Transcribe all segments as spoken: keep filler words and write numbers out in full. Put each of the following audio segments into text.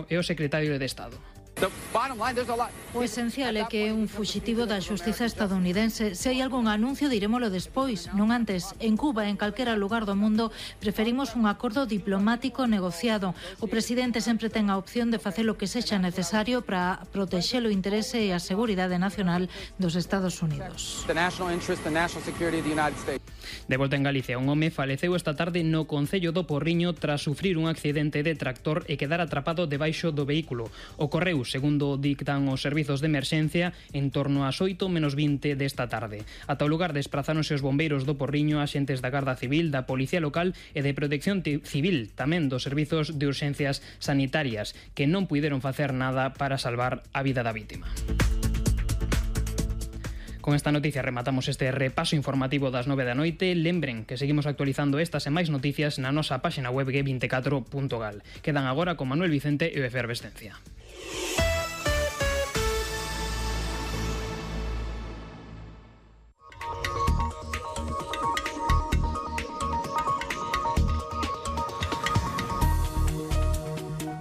e o secretario de Estado. O esencial é que é un fuxitivo da xustiza estadounidense. Se hai algún anuncio, dirémolo despois, non antes. En Cuba, en calquera lugar do mundo, preferimos un acordo diplomático negociado. O presidente sempre ten a opción de facer o que sexa necesario para protexer o interese e a seguridade nacional dos Estados Unidos. De volta en Galicia, un home faleceu esta tarde no concello do Porriño tras sufrir un accidente de tractor e quedar atrapado debaixo do vehículo. Ocorreu, segundo dictan os servizos de emerxencia, en torno ás oito menos vinte desta tarde. Ata o lugar desprazáronse os bombeiros do Porriño, axentes da Garda Civil, da Policía Local e de Protección Civil, tamén dos servizos de urxencias sanitarias, que non puideron facer nada para salvar a vida da vítima. Con esta noticia rematamos este repaso informativo das nove da noite. Lembren que seguimos actualizando estas e máis noticias na nosa páxina web g vinte e catro punto gal. Quedan agora con Manuel Vicente e o Efervescencia.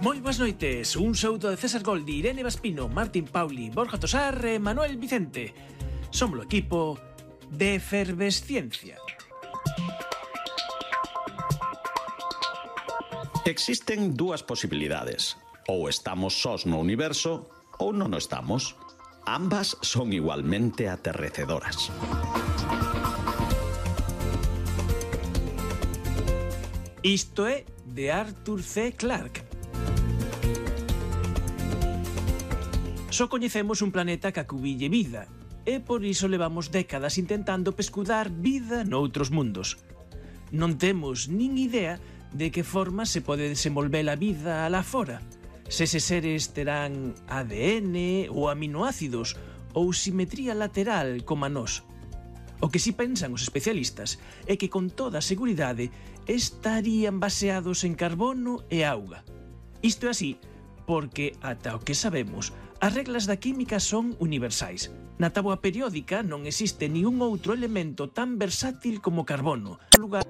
Moi boas noites, un saúdo de César Goldi, Irene Vaspino, Martín Pauli, Borja Tosar e Manuel Vicente. Somos o equipo de Efervesciencia. Existen dúas posibilidades. Ou estamos sós no universo ou non o estamos. Ambas son igualmente aterrecedoras. Isto é de Arthur C. Clarke. Só coñecemos un planeta que acubille vida, e por iso levamos décadas intentando pescudar vida noutros mundos. Non temos nin idea de que forma se pode desenvolver a vida alá fora. Se eses seres terán A D N ou aminoácidos ou simetría lateral como a nós. O que si pensan os especialistas é que con toda a seguridade estarían baseados en carbono e auga. Isto é así porque, ata o que sabemos, as reglas da química son universais. Na táboa periódica non existe ningún outro elemento tan versátil como o carbono. Lugar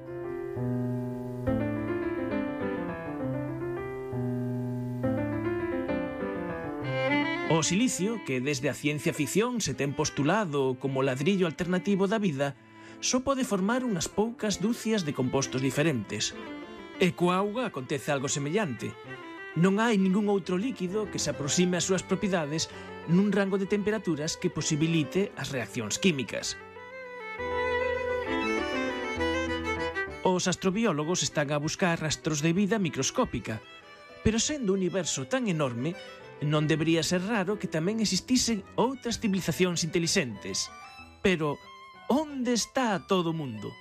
O silicio, que desde a ciencia ficción se ten postulado como o ladrillo alternativo da vida, só pode formar unhas poucas dúcias de compostos diferentes. E coa auga acontece algo semellante. Non hai ningún outro líquido que se aproxime ás súas propiedades nun rango de temperaturas que posibilite as reaccións químicas. Os astrobiólogos están a buscar rastros de vida microscópica, pero sendo o universo tan enorme, non debería ser raro que tamén existisen outras civilizacións intelixentes. Pero, onde está todo o mundo?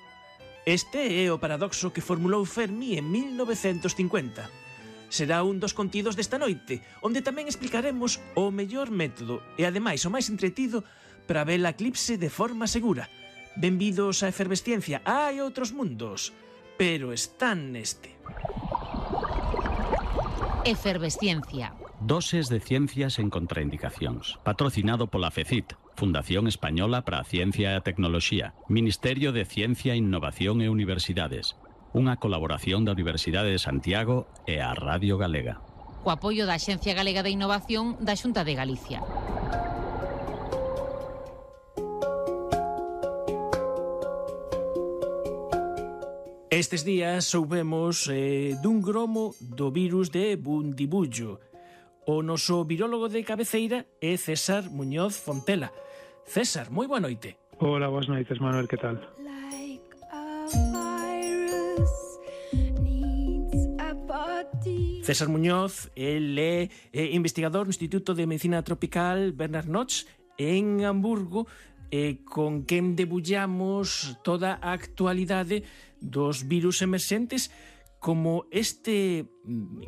Este é o paradoxo que formulou Fermi en mil novecentos cincuenta. Será un dos contidos desta noite, onde tamén explicaremos o mellor método e, ademais, o máis entretido para ver a eclipse de forma segura. Benvidos á Efervesciencia. Hai outros mundos, pero están neste. Efervesciencia. Doses de ciencias en contraindicacións. Patrocinado pola FECIT, Fundación Española para a Ciencia e a Tecnoloxía, Ministerio de Ciencia, Innovación e Universidades. Unha colaboración da Universidade de Santiago e a Radio Galega. Co apoio da Axencia Galega de Innovación da Xunta de Galicia. Estes días soubemos eh, dun gromo do virus de Bundibullo. O noso virólogo de cabeceira é César Muñoz Fontela. César, moi boa noite. Hola, boas noites, Manuel, que tal? César Muñoz, el é, é investigador no Instituto de Medicina Tropical Bernard Notch en Hamburgo, e con quen debullamos toda a actualidade dos virus emerxentes como este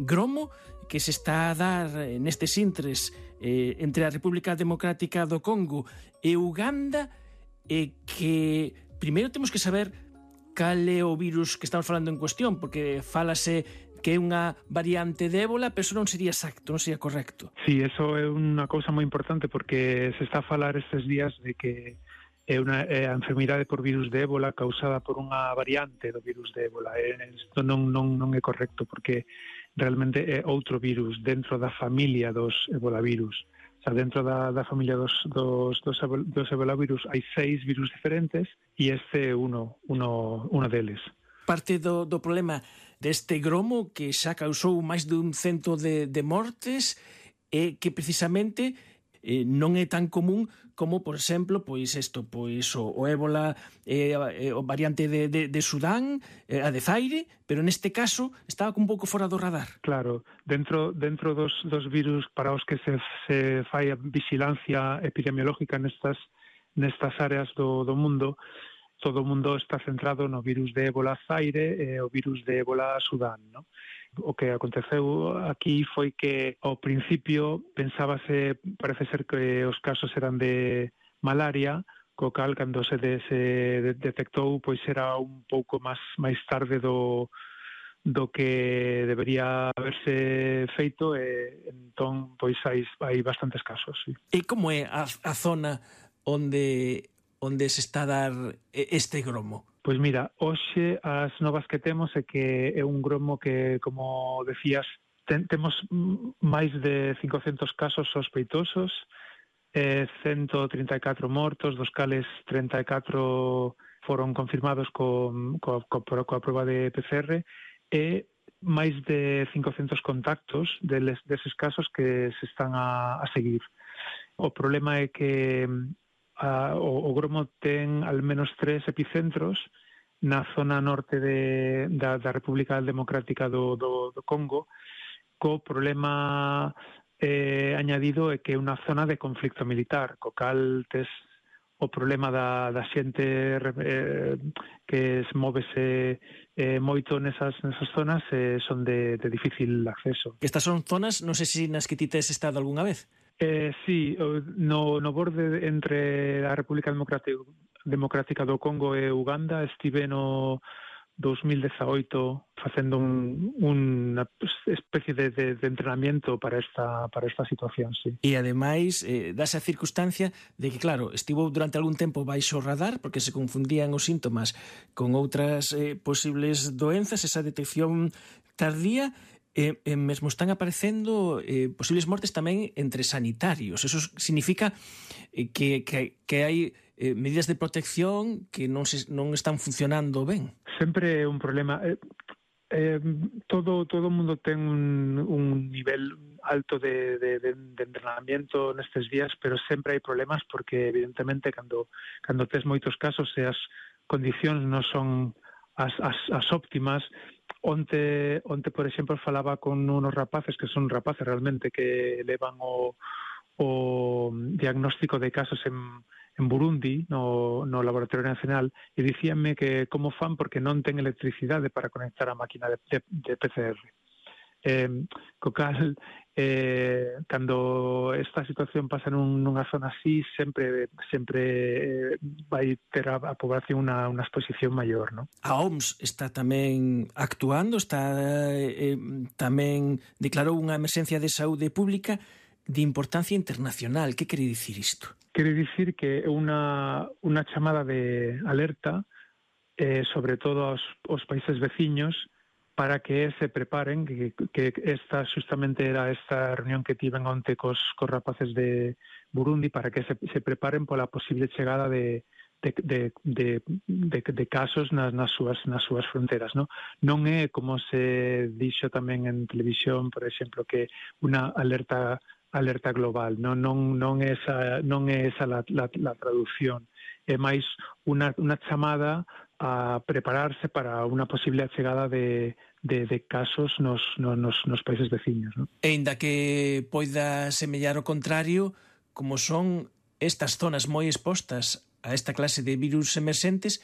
gromo que se está a dar nestes intres eh, entre a República Democrática do Congo e Uganda, e que primeiro temos que saber cal é o virus que estamos falando en cuestión, porque fálase que é unha variante de ébola, pero eso non sería exacto, non sería correcto. Sí, eso é unha cousa moi importante, porque se está a falar estes días de que é unha é a enfermidade por virus de ébola causada por unha variante do virus de ébola. Isto non, non, non é correcto, porque realmente é outro virus dentro da familia dos ebolavirus. O sea, dentro da, da familia dos, dos, dos, dos ebolavirus hai seis virus diferentes e este é uno, uno, uno deles. Parte do, do problema deste gromo que xa causou máis dun cento de, de mortes é que precisamente eh, non é tan común como, por exemplo, pois isto, pois o, o ébola, eh, o variante de, de, de Sudán, eh, a de Zaire, pero neste caso estaba un pouco fora do radar. Claro, dentro dentro dos, dos virus para os que se, se fai a vigilancia epidemiológica nestas nestas áreas do, do mundo, todo o mundo está centrado no virus de ébola Zaire e o virus de ébola Sudán, ¿no? O que aconteceu aquí foi que ao principio pensábase, parece ser que os casos eran de malaria, co cal cando se, de, se detectou pois era un pouco máis máis tarde do do que debería haberse feito e entón pois hai hai bastantes casos, sí. E como é a, a zona onde onde se está a dar este gromo? Pois mira, hoxe as novas que temos é que é un gromo que, como decías, ten, temos máis de cincocentos casos sospeitosos, eh, ciento trinta e catro mortos, dos cales trinta e catro foron confirmados con, co, co, coa prova de P C R, e máis de cincocentos contactos deles, deses casos que se están a, a seguir. O problema é que a, o, o gromo ten al menos tres epicentros na zona norte de, da, da República Democrática do, do, do Congo, co problema eh, añadido é que é unha zona de conflicto militar, co cal tes o problema da, da xente eh, que se móvese eh, moito nesas, nesas zonas eh, son de, de difícil acceso. Estas son zonas, non sei se nas que ti tes estado algunha vez. Eh, sí, no, no borde entre a República Democrática, Democrática do Congo e Uganda estive no dos mil dezaoito facendo un, unha especie de, de, de entrenamiento para esta, para esta situación, sí. E ademais, eh, dase a circunstancia de que, claro, estivo durante algún tempo baixo radar porque se confundían os síntomas con outras eh, posibles doenzas, esa detección tardía. E, e mesmo están aparecendo eh, posibles mortes tamén entre sanitarios. Eso significa eh, que, que, que hai eh, medidas de protección que non, se, non están funcionando ben. Sempre é un problema. Eh, eh, todo todo o mundo ten un, un nivel alto de, de, de, de entrenamiento nestes días, pero sempre hai problemas porque, evidentemente, cando, cando tes moitos casos e as condicións non son as, as, as óptimas. Onte, onte, por exemplo, falaba con unos rapaces, que son rapaces realmente, que levan o, o diagnóstico de casos en, en Burundi, no, no Laboratorio Nacional, e dicíanme que como fan porque non ten electricidade para conectar a máquina de, de, de P C R. Eh, co cal, eh, cando esta situación pasa nun, nunha zona así, sempre sempre eh, vai ter a, a población unha, unha exposición maior, ¿no? A O M S está tamén actuando, está eh, tamén declarou unha emerxencia de saúde pública de importancia internacional. Que quere dicir isto? Quere dicir que é unha, unha chamada de alerta, eh, sobre todo aos, aos países veciños, para que se preparen, que, que esta justamente era esta reunión que tiven onte cos, cos rapaces de Burundi, para que se, se preparen pola posible chegada de, de, de, de, de, de casos nas, nas, súas, nas súas fronteras, ¿no? Non é, como se dixo tamén en televisión, por exemplo, que unha alerta alerta global, non, non, non é esa, non é esa la, la, la traducción, é máis unha, unha chamada a prepararse para unha posible achegada de, de, de casos nos, nos, nos países veciños, ¿no? E inda que poida semellar o contrario, como son estas zonas moi expostas a esta clase de virus emerxentes,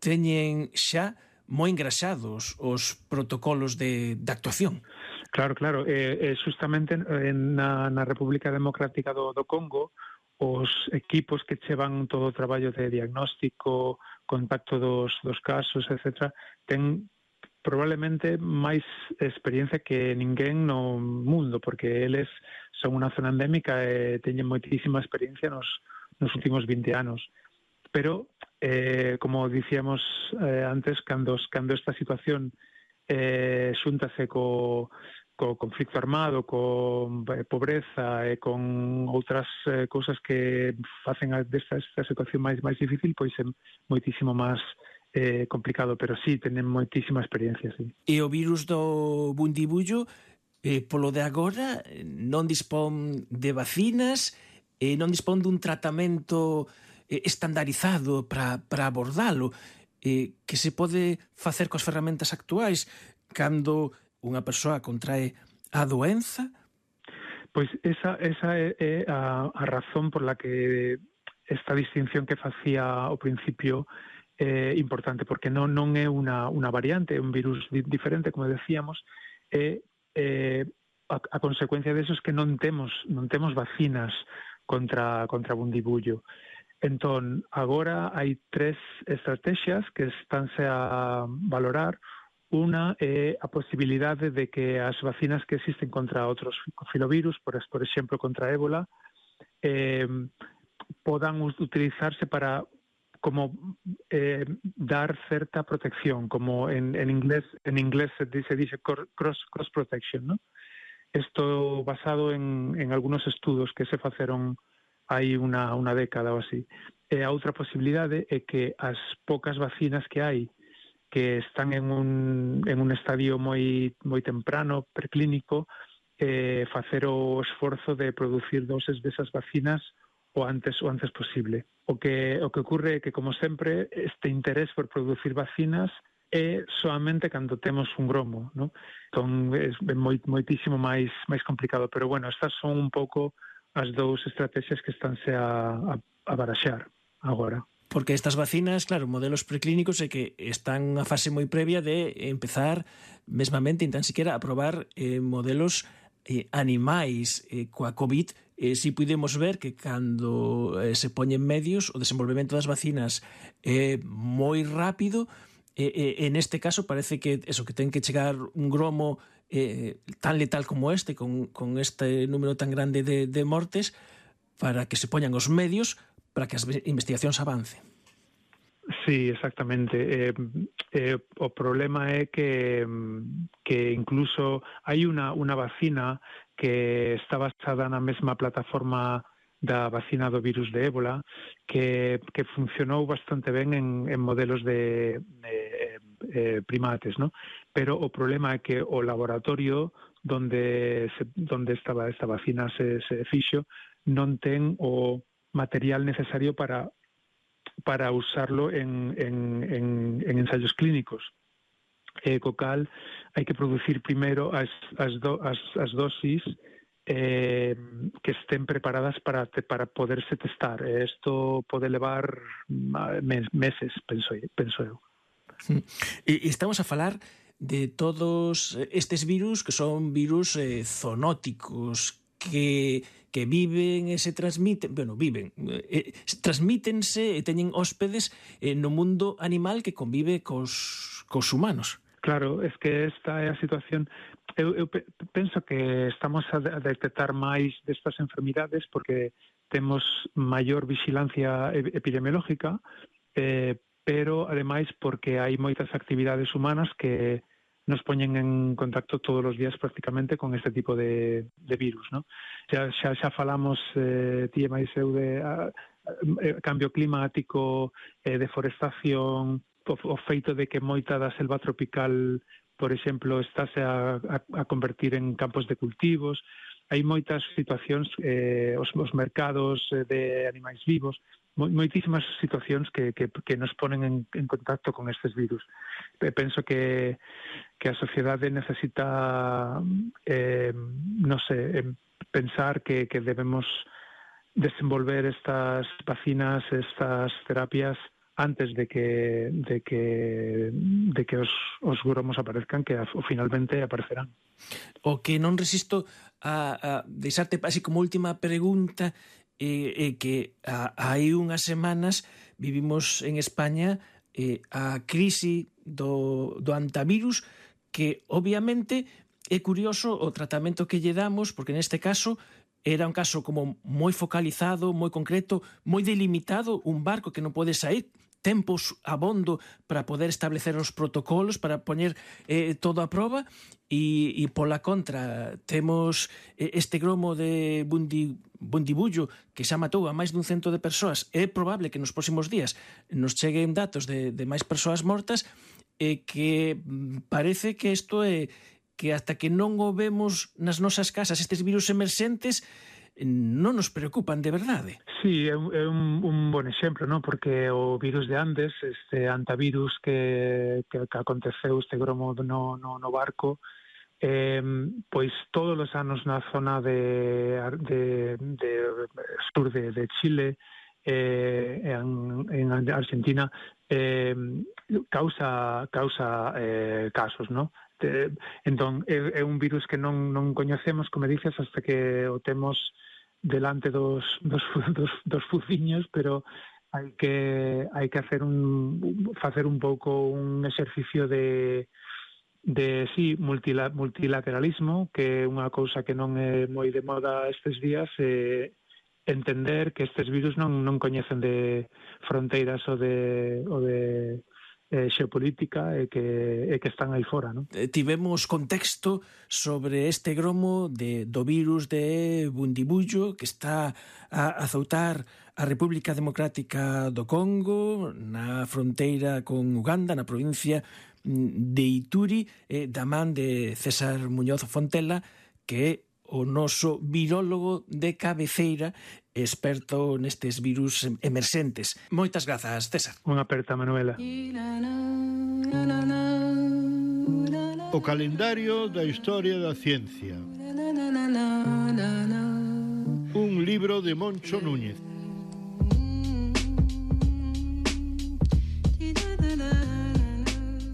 teñen xa moi engraxados os protocolos de, de actuación. Claro, claro. E, e justamente na, na República Democrática do, do Congo, os equipos que chevan todo o traballo de diagnóstico, contacto dos, dos casos, etcétera, ten probablemente máis experiencia que ninguén no mundo, porque eles son unha zona endémica e teñen moitísima experiencia nos, nos últimos vinte anos. Pero, eh, como dicíamos eh, antes, cando, cando esta situación eh, xúntase co, co conflicto armado, con pobreza e con outras eh, cousas que facen desta, esta situación máis máis difícil, pois é moitísimo máis eh, complicado, pero sí, tenen moitísima experiencia, sí. E o virus do bundibullo, eh, polo de agora, non dispón de vacinas, eh, non dispón dun tratamento eh, estandarizado para, para abordalo, eh, que se pode facer coas ferramentas actuais cando unha persoa contrae a doenza? Pois esa, esa é, é a, a razón por la que esta distinción que facía ao principio é importante, porque non, non é unha, unha variante, é un virus di, diferente, como decíamos, e eh, a, a consecuencia deso é que non temos, non temos vacinas contra, contra bundibullo. Entón, agora hai tres estrategias que estánse a valorar. Una é a posibilidade de que as vacinas que existen contra outros filovirus, por, por exemplo, contra ébola, eh, podan utilizarse para como eh, dar certa protección, como en, en inglés en inglés se dice, dice cross, cross protection, ¿no? Esto basado en, en algunos estudos que se faceron hai unha, unha década ou así. E a outra posibilidade é que as poucas vacinas que hai que están en un, en un estadio moi, moi temprano, preclínico, eh, facer o esforzo de producir doses desas vacinas o antes o antes posible. O que, o que ocurre é que, como sempre, este interés por producir vacinas é solamente cando temos un gromo, ¿no? Entón, é moi, moitísimo máis, máis complicado. Pero, bueno, estas son un pouco as dous estrategias que estánse a, a, a baraxar agora. Porque estas vacinas, claro, modelos preclínicos é que están a fase moi previa de empezar mesmamente, tan siquiera, a probar eh, modelos eh, animais eh, coa COVID. Eh, si podemos ver que cando eh, se poñen medios o desenvolvemento das vacinas é eh, moi rápido, e eh, eh, en este caso parece que eso, que ten que chegar un gromo eh, tan letal como este, con, con este número tan grande de, de mortes, para que se poñan os medios para que as investigacións avancen. Sí, exactamente. Eh, eh, o problema é que, que incluso hai unha, unha vacina que está basada na mesma plataforma da vacina do virus de ébola, que, que funcionou bastante ben en, en modelos de, de eh, primates, ¿no? Pero o problema é que o laboratorio donde, se, donde estaba esta vacina se, se fixo non ten o material necesario para para usarlo en, en, en, en ensayos clínicos. Eh, co cal, hai que producir primeiro as, as, do, as, as dosis eh, que estén preparadas para, te, para poderse testar. Isto pode levar mes, meses, penso, penso eu. E estamos a falar de todos estes virus que son virus eh, zoonóticos, que, que viven e se transmiten, bueno, viven, eh, transmítense e teñen hóspedes eh, no mundo animal que convive cos, cos humanos. Claro, es que esta é a situación. Eu, eu penso que estamos a detectar máis destas enfermidades porque temos maior vigilancia epidemiológica, eh, pero ademais porque hai moitas actividades humanas que nos poñen en contacto todos os días prácticamente con este tipo de, de virus, ¿no? Xa, xa, xa falamos, eh, ti e máis eu, de a, a, cambio climático, eh, deforestación, o, o feito de que moita da selva tropical, por exemplo, estáse a, a, a convertir en campos de cultivos. Hai moitas situacións, eh, os, os mercados de animais vivos, moitísimas situacións que, que, que nos ponen en, en contacto con estes virus. Penso que, que a sociedade necesita, eh, non sei, pensar que, que debemos desenvolver estas vacinas, estas terapias antes de que de que de que os, os gromos aparezcan, que a, finalmente aparecerán. O que non resisto a, a deixarte así como última pregunta é eh, eh, que a, hai unhas semanas vivimos en España eh, a crise do, do antivirus, que obviamente é curioso o tratamento que lle damos, porque neste caso era un caso como moi focalizado, moi concreto, moi delimitado, un barco que non pode sair, tempos abondo para poder establecer os protocolos, para poñer eh, todo a proba, e, e pola contra temos eh, este gromo de Bundi, Bundibullo que xa matou a máis dun cento de persoas. É probable que nos próximos días nos cheguen datos de, de máis persoas mortas, e que parece que isto é que hasta que non o vemos nas nosas casas estes virus emerxentes non nos preocupan de verdade. Sí, é un, é un, un bon exemplo, ¿no? Porque o virus de Andes, este antivirus que, que, que aconteceu, este gromo no, no, no barco, eh, pois todos os anos na zona de, de, de sur de, de Chile, eh, en, en Argentina, eh, causa, causa eh, casos, ¿no? De, entón, é, é un virus que non, non coñecemos, como dices, hasta que o temos delante dos, dos, dos, dos fuciños, pero hai que hai que hacer un facer un pouco un exercicio de de sí, multila, multilateralismo, que é unha cousa que non é moi de moda estes días, e entender que estes virus non non coñecen de fronteiras ou de ou de eh, xeopolítica e que, e que están aí fora, non? Tivemos contexto sobre este gromo de, do virus de Bundibullo que está a azoutar a República Democrática do Congo, na fronteira con Uganda, na provincia de Ituri, eh, da man de César Muñoz Fontela, que é o noso virólogo de cabeceira, experto nestes virus emerxentes. Moitas grazas, César. Unha aperta, Manuela. O calendario da historia da ciencia. Un libro de Moncho Núñez.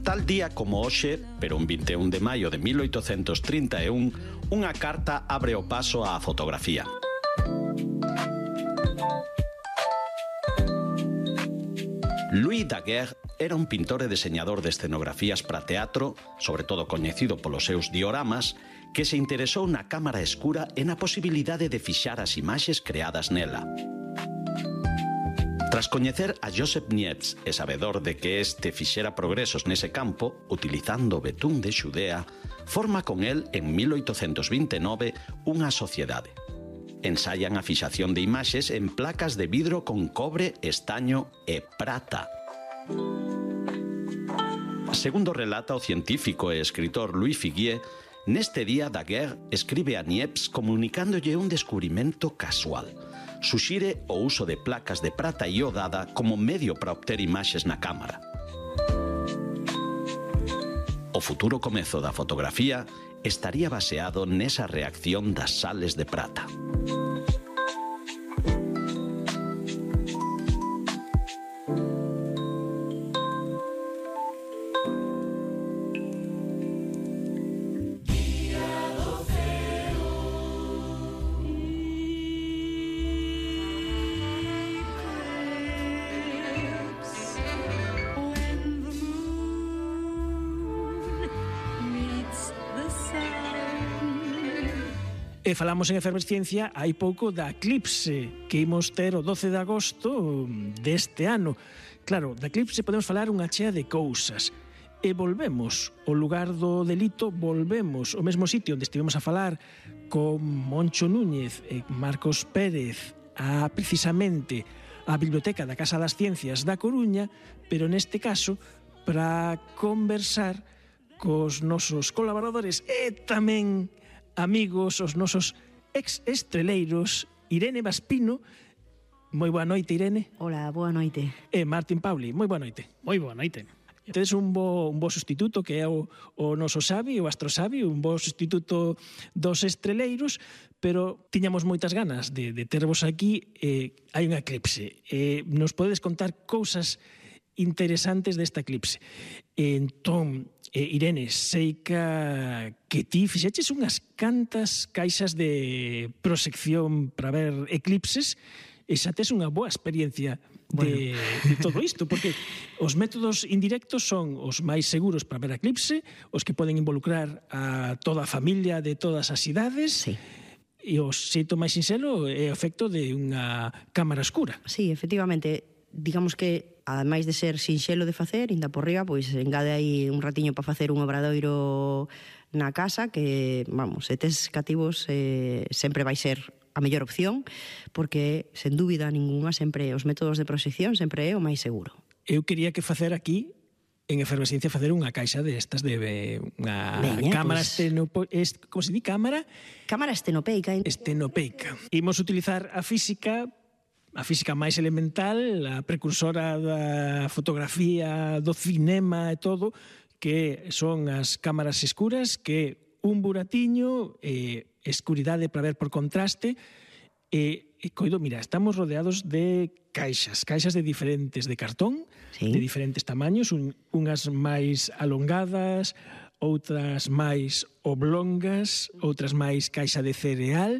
Tal día como hoxe, pero un vinte e un de maio de mil oitocentos trinta e un, unha carta abre o paso á fotografía. Louis Daguerre era un pintor e deseñador de escenografías para teatro, sobre todo coñecido polos seus dioramas, que se interesou na cámara escura e na posibilidade de fixar as imaxes creadas nela. Tras coñecer a Joseph Niepce e sabedor de que este fixera progresos nese campo, utilizando o betún de Xudea, forma con el en mil oitocentos vinte e nove unha sociedade. Ensayan a fixación de imaxes en placas de vidro con cobre, estaño e prata. Segundo relata o científico e escritor Louis Figuier, neste día Daguerre escribe a Niepce comunicándolle un descubrimento casual. Suxire o uso de placas de prata iodada como medio para obter imaxes na cámara. O futuro comezo da fotografía estaría baseado nesa reacción das sales de prata. E falamos en Efervesciencia hai pouco da eclipse que imos ter o doce de agosto deste ano. Claro, da eclipse podemos falar unha chea de cousas. E volvemos ao lugar do delito, volvemos ao mesmo sitio onde estivemos a falar con Moncho Núñez e Marcos Pérez a precisamente a Biblioteca da Casa das Ciencias da Coruña, pero neste caso para conversar cos nosos colaboradores e tamén amigos, os nosos ex-estreleiros, Irene Vaspino. Moi boa noite, Irene. Hola, boa noite. E Martín Pauli, moi boa noite. Moi boa noite. Tedes un bo, un bo sustituto que é o, o noso Xavi, o Astro Xavi, un bo sustituto dos estreleiros, pero tiñamos moitas ganas de, de tervos aquí. Eh, hai un eclipse. Eh, nos podedes contar cousas interesantes desta eclipse. Entón, eh, Irene, sei que, que ti fixeches unhas cantas caixas de prosección para ver eclipses e xa tes unha boa experiencia de, bueno. de todo isto, porque os métodos indirectos son os máis seguros para ver eclipse, os que poden involucrar a toda a familia de todas as idades. Sí. E o xeito máis sinxelo é o efecto de unha cámara escura. Sí, efectivamente, digamos que ademais de ser sinxelo de facer, inda por riba, pois engade aí un ratiño para facer un obradoiro na casa que, vamos, se tes cativos eh, sempre vai ser a mellor opción, porque, sen dúbida ninguna, sempre os métodos de proxección sempre é o máis seguro. Eu quería que facer aquí en Efervesciencia facer unha caixa destas de unha Veña, cámara pues... estenopo... Es, como se di? Cámara? Cámara estenopeica. Estenopeica. Imos utilizar a física, a física máis elemental, a precursora da fotografía, do cinema e todo, que son as cámaras escuras, que un buratiño, eh, escuridade para ver por contraste, e, e coido, mira, estamos rodeados de caixas, caixas de diferentes, de cartón, sí, de diferentes tamaños, un, unhas máis alongadas, outras máis oblongas, outras máis caixa de cereal,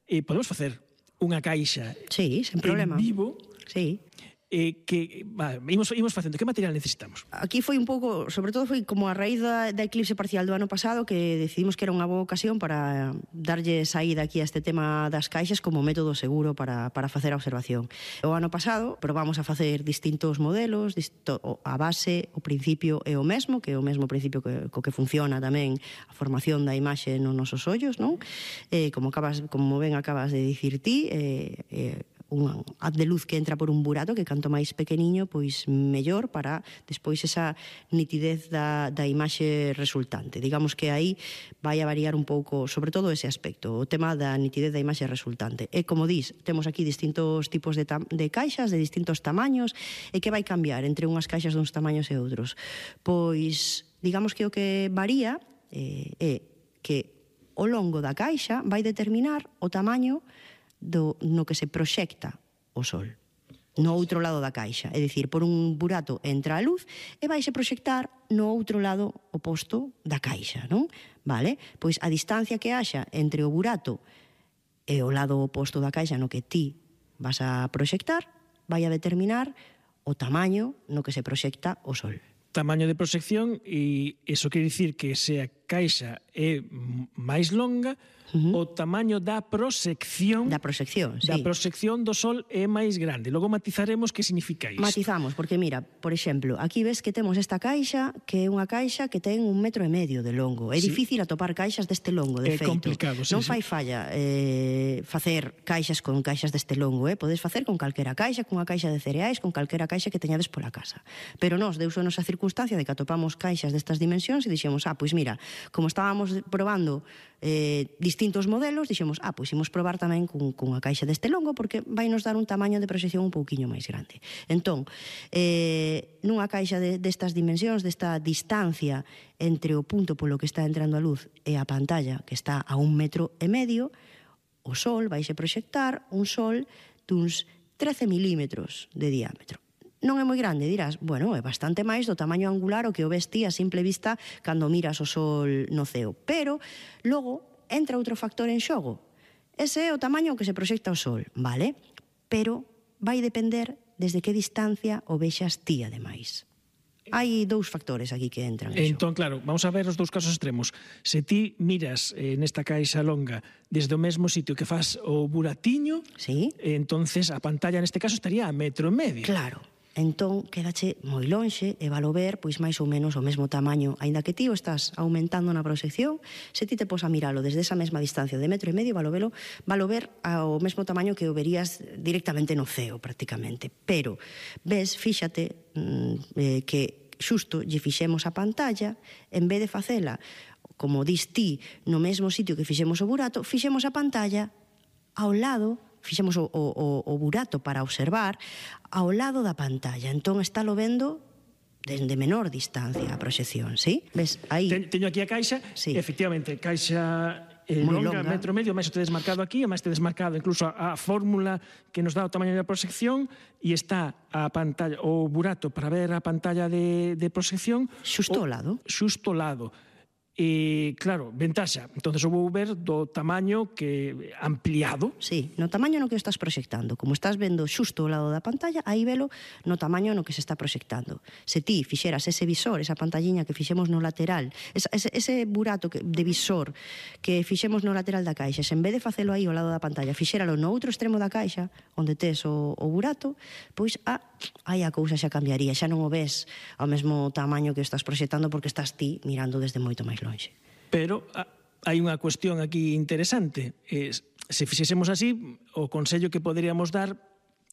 e podemos facer unha caixa sí, sen problema. En vivo, sí, eh, que va, imos, imos facendo. Que material necesitamos? Aquí foi un pouco, sobre todo foi como a raíz da, da eclipse parcial do ano pasado, que decidimos que era unha boa ocasión para darlle saída aquí a este tema das caixas como método seguro para, para facer a observación. O ano pasado probamos a facer distintos modelos, disto, a base, o principio é o mesmo, que é o mesmo principio que, co que funciona tamén a formación da imaxe nos nosos ollos, non? Eh, como, acabas, como ben acabas de dicir ti, eh, eh, un haz de luz que entra por un burato que canto máis pequeniño, pois mellor para despois esa nitidez da, da imaxe resultante. Digamos que aí vai a variar un pouco, sobre todo ese aspecto, o tema da nitidez da imaxe resultante. E como dis, temos aquí distintos tipos de, de caixas, de distintos tamaños, e que vai cambiar entre unhas caixas duns tamaños e outros. Pois, digamos que o que varía eh, é que o longo da caixa vai determinar o tamaño do, no que se proxecta o sol no outro lado da caixa, é dicir, por un burato entra a luz e vaise proxectar no outro lado oposto da caixa, non? Vale? Pois a distancia que haxa entre o burato e o lado oposto da caixa no que ti vas a proxectar vai a determinar o tamaño no que se proxecta o sol. Tamaño de proxección, e iso quere dicir que se a caixa é máis longa, Uh-huh. o tamaño da proxección da proxección, sí. da proxección do sol é máis grande. Logo matizaremos que significa isto. Matizamos, porque mira, por exemplo, aquí ves que temos esta caixa, que é unha caixa que ten un metro e medio de longo. É sí. difícil atopar caixas deste longo, de é feito. É complicado, sí, Non sí. fai falla eh, facer caixas con caixas deste longo, eh? Podes facer con calquera caixa, con unha caixa de cereais, con calquera caixa que teñades pola casa. Pero nós, deusonos a circunstancia de que atopamos caixas destas dimensións e dixemos, ah, pois mira, como estábamos probando eh, distintos modelos, dixemos, ah, pois imos probar tamén con, con a caixa deste longo porque vai nos dar un tamaño de proxección un pouquiño máis grande. Entón, eh, nunha caixa de, destas dimensións, desta distancia entre o punto polo que está entrando a luz e a pantalla, que está a un metro e medio, o sol vaise proxectar un sol duns trece milímetros de diámetro. Non é moi grande, dirás, bueno, é bastante máis do tamaño angular o que o ves ti a simple vista cando miras o sol no ceo. Pero, logo, entra outro factor en xogo. Ese é o tamaño que se proxecta o sol, vale? Pero vai depender desde que distancia o vexas ti, ademais. Hai dous factores aquí que entran en xogo. Entón, claro, vamos a ver os dous casos extremos. Se ti miras eh, nesta caixa longa desde o mesmo sitio que faz o buratiño, sí, entonces a pantalla neste caso estaría a metro e medio. Claro. Entón, quédache moi lonxe e valo ver, pois máis ou menos o mesmo tamaño, aínda que ti o estás aumentando na proxección, se ti te pos a miralo desde esa mesma distancia de metro e medio, valo, velo, valo ver ao mesmo tamaño que o verías directamente no ceo, prácticamente. Pero, ves, fíxate eh, que xusto lle fixemos a pantalla, en vez de facela, como dis ti, no mesmo sitio que fixemos o burato, fixemos a pantalla ao lado, fixemos o, o, o burato para observar ao lado da pantalla. Entón, estálo vendo desde menor distancia a proxección, sí? Ves, aí... Ten, teño aquí a caixa, sí. Efectivamente, caixa eh, longa, longa, metro e medio, máis o tedes marcado aquí, máis tedes marcado incluso a, a fórmula que nos dá o tamaño da proxección, e está a pantalla, o burato para ver a pantalla de, de proxección... Xusto ao lado. Xusto ao lado. E, claro, ventaxa, entonces o vou ver do tamaño que ampliado. Sí, no tamaño no que estás proxectando. Como estás vendo xusto ao lado da pantalla, aí velo no tamaño no que se está proxectando. Se ti fixeras ese visor, esa pantalliña que fixemos no lateral, ese, ese burato que, de visor que fixemos no lateral da caixa, se en vez de facelo aí ao lado da pantalla, fixéralo no outro extremo da caixa, onde tes o, o burato, pois ah, aí a cousa xa cambiaría, xa non o ves ao mesmo tamaño que estás proxectando porque estás ti mirando desde moito máis longe. Pero ah, hai unha cuestión aquí interesante. Eh, se fixésemos así, o consello que poderíamos dar,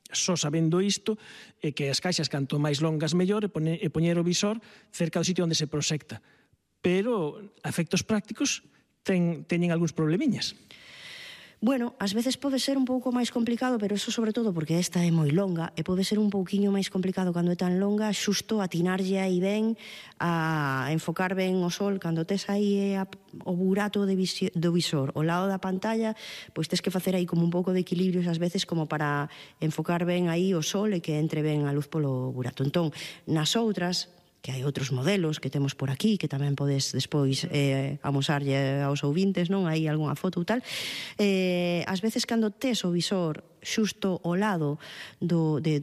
só sabendo isto, é que as caixas canto máis longas mellor e, pone, e poñer o visor cerca do sitio onde se proxecta. Pero, a efectos prácticos, ten, teñen algúns problemiñas. Bueno, ás veces pode ser un pouco máis complicado, pero eso sobre todo porque esta é moi longa e pode ser un pouquiño máis complicado cando é tan longa, xusto atinarlle aí ben a enfocar ben o sol cando tes aí a, o burato de visi, do visor ao lado da pantalla, pois tes que facer aí como un pouco de equilibrios ás veces como para enfocar ben aí o sol e que entre ben a luz polo burato. Entón, nas outras, que hai outros modelos que temos por aquí, que tamén podes despois eh, amosarlle aos ouvintes, non? Hai algunha foto ou tal. Eh, ás veces, cando tes o visor xusto ao lado do, de,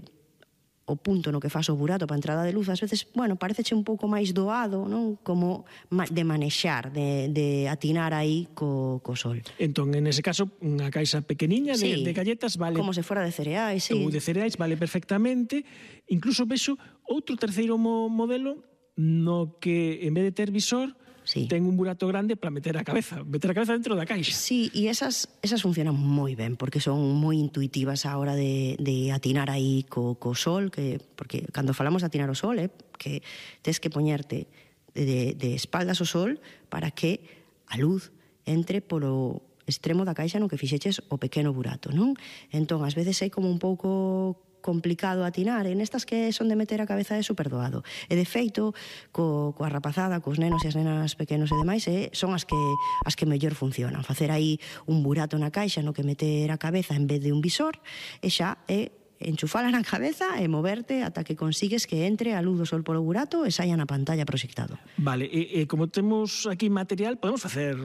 o punto no que faz o burato para a entrada de luz, ás veces, bueno, pareceche un pouco máis doado, non? Como de manexar, de, de atinar aí co, co sol. Entón, en ese caso, unha caixa pequeniña de, sí, de galletas vale... como se fora de cereais, sí. Ou de cereais, vale perfectamente. Incluso vexo outro terceiro mo modelo no que, en vez de ter visor, sí, ten un burato grande para meter a cabeza, meter a cabeza dentro da caixa. Sí, e esas, esas funcionan moi ben, porque son moi intuitivas a hora de, de atinar aí co, co sol, que, porque cando falamos de atinar o sol, eh, que tes que poñerte de, de espaldas ao sol para que a luz entre polo extremo da caixa no que fixeches o pequeno burato, non? Entón, ás veces é como un pouco complicado atinar, en estas que son de meter a cabeza é super doado. E de feito, co, coa rapazada, cos nenos e as nenas pequenos e demais, eh, son as que as que mellor funcionan. Facer aí un burato na caixa no que meter a cabeza en vez de un visor, e xa é enchufala na cabeza e moverte ata que consigues que entre a luz do sol polo burato e saia na pantalla proxectado. Vale, e, e como temos aquí material, podemos facer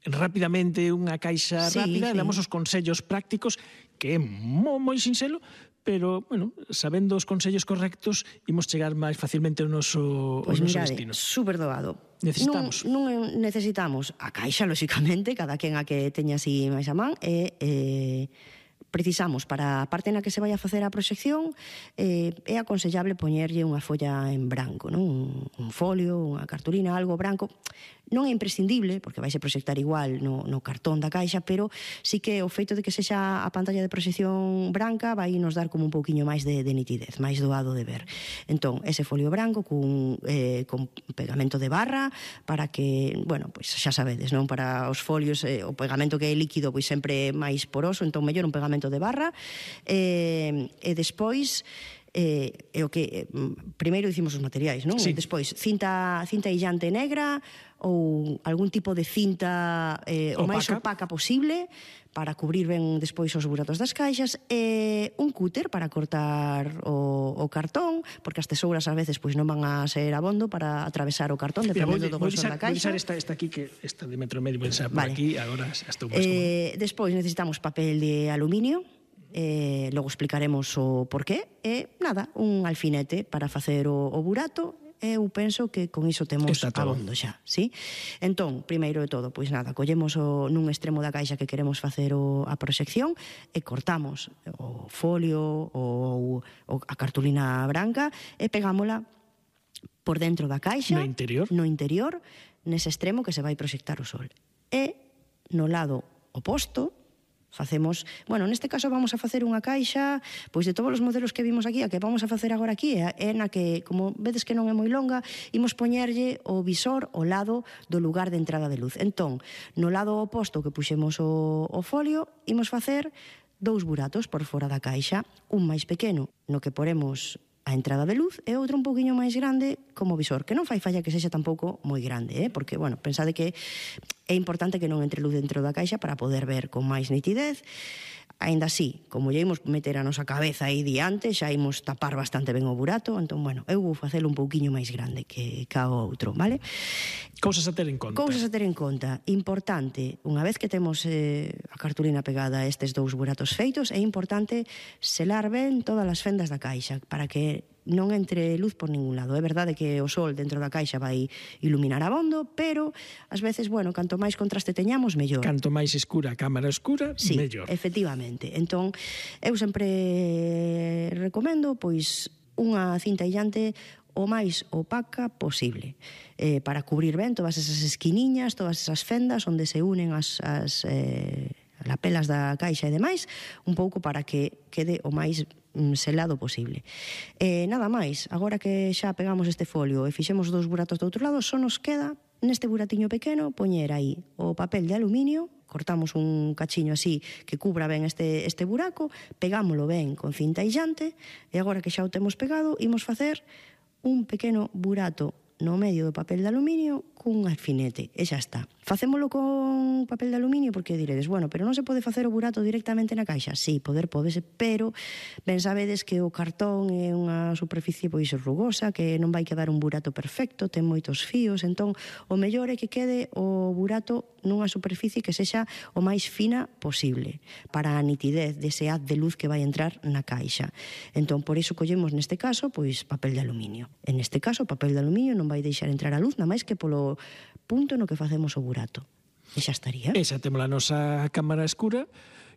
rapidamente unha caixa sí, rápida, sí. damos os consellos prácticos, que é moi, moi sinxelo, pero, bueno, sabendo os consellos correctos, imos chegar máis facilmente ao noso, pues ao noso mirade, destino. Super doado. Necesitamos. Non, non necesitamos a caixa, lóxicamente, cada quen a que teña así máis a man, e... Eh, precisamos para a parte na que se vai a facer a proxección, eh, é aconsellable poñerlle unha folla en branco, non? Un, un folio, unha cartulina, algo branco. Non é imprescindible, porque vai se proxectar igual no, no cartón da caixa, pero sí que o feito de que sexa a pantalla de proxección branca vai nos dar como un pouquiño máis de, de nitidez, máis doado de ver. Entón, ese folio branco cun, eh, con pegamento de barra para que, bueno, pois xa sabedes, non? Para os folios, eh, o pegamento que é líquido pois sempre é máis poroso, entón mellor un pegamento de barra, eh, e despois eh, é o que eh, primeiro dicimos os materiais, non? Sí. Despois cinta cinta illante negra ou algún tipo de cinta eh, o máis opaca posible para cubrir ben despois os buratos das caixas, e un cúter para cortar o, o cartón, porque as tesouras ás veces pois non van a ser abondo para atravesar o cartón, dependendo do grosor da caixa. Vou deixar esta, esta aquí, que esta de metro e medio, vou deixar por vale. aquí, agora estou máis eh, despois necesitamos papel de aluminio, eh, logo explicaremos o porqué, e nada, un alfinete para facer o, o burato. Eu penso que con iso temos abondo xa, sí? Entón, primeiro de todo, pois nada, collemos o, nun extremo da caixa que queremos facer o, a proxección e cortamos o folio ou a cartulina branca e pegámola por dentro da caixa, no interior, no interior, nese extremo que se vai proxectar o sol. E no lado oposto, facemos, bueno, neste caso vamos a facer unha caixa, pois de todos os modelos que vimos aquí, a que vamos a facer agora aquí, é na que, como vedes que non é moi longa, imos poñerlle o visor ao lado do lugar de entrada de luz. Entón, no lado oposto que puxemos o, o folio, imos facer dous buratos por fora da caixa, un máis pequeno, no que poremos a entrada de luz, e outro un pouquiño máis grande como visor, que non fai falla que sexa tampouco moi grande, eh? Porque, bueno, pensade que É importante que non entre luz dentro da caixa para poder ver con máis nitidez. Ainda así, como lle imos meter a nosa cabeza aí diante, xa imos tapar bastante ben o burato, entón, bueno, eu vou facelo un pouquiño máis grande que ca o outro, vale? Cousas a ter en conta. Cousas a ter en conta. Importante, unha vez que temos eh, a cartulina pegada a estes dous buratos feitos, é importante selar ben todas as fendas da caixa para que non entre luz por ningún lado. É verdade que o sol dentro da caixa vai iluminar abondo, pero ás veces, bueno, canto máis contraste teñamos, mellor. Canto máis escura a cámara escura, sí, mellor. Efectivamente. Entón, eu sempre recomendo, pois, unha cinta illante o máis opaca posible, eh, para cubrir ben todas esas esquiniñas, todas esas fendas onde se unen as, as eh, lapelas da caixa e demais, un pouco para que quede o máis selado posible. Eh, nada máis, agora que xa pegamos este folio e fixemos dous buratos do outro lado, só nos queda neste buratiño pequeno poñer aí o papel de aluminio, cortamos un cachiño así que cubra ben este, este buraco, pegámolo ben con cinta illante e agora que xa o temos pegado, imos facer un pequeno burato no medio do papel de aluminio cun alfinete, e xa está. Facémolo con papel de aluminio porque diredes, bueno, pero non se pode facer o burato directamente na caixa? Sí, poder pódese, pero ben sabedes que o cartón é unha superficie pois rugosa, que non vai quedar un burato perfecto, ten moitos fíos, entón o mellor é que quede o burato nunha superficie que sexa o máis fina posible para a nitidez dese haz de luz que vai entrar na caixa. Entón, por iso collemos neste caso, pois papel de aluminio. En este caso, o papel de aluminio non vai deixar entrar a luz, nada máis que polo punto no que facemos o burato. E xa estaría. E xa temos a nosa cámara escura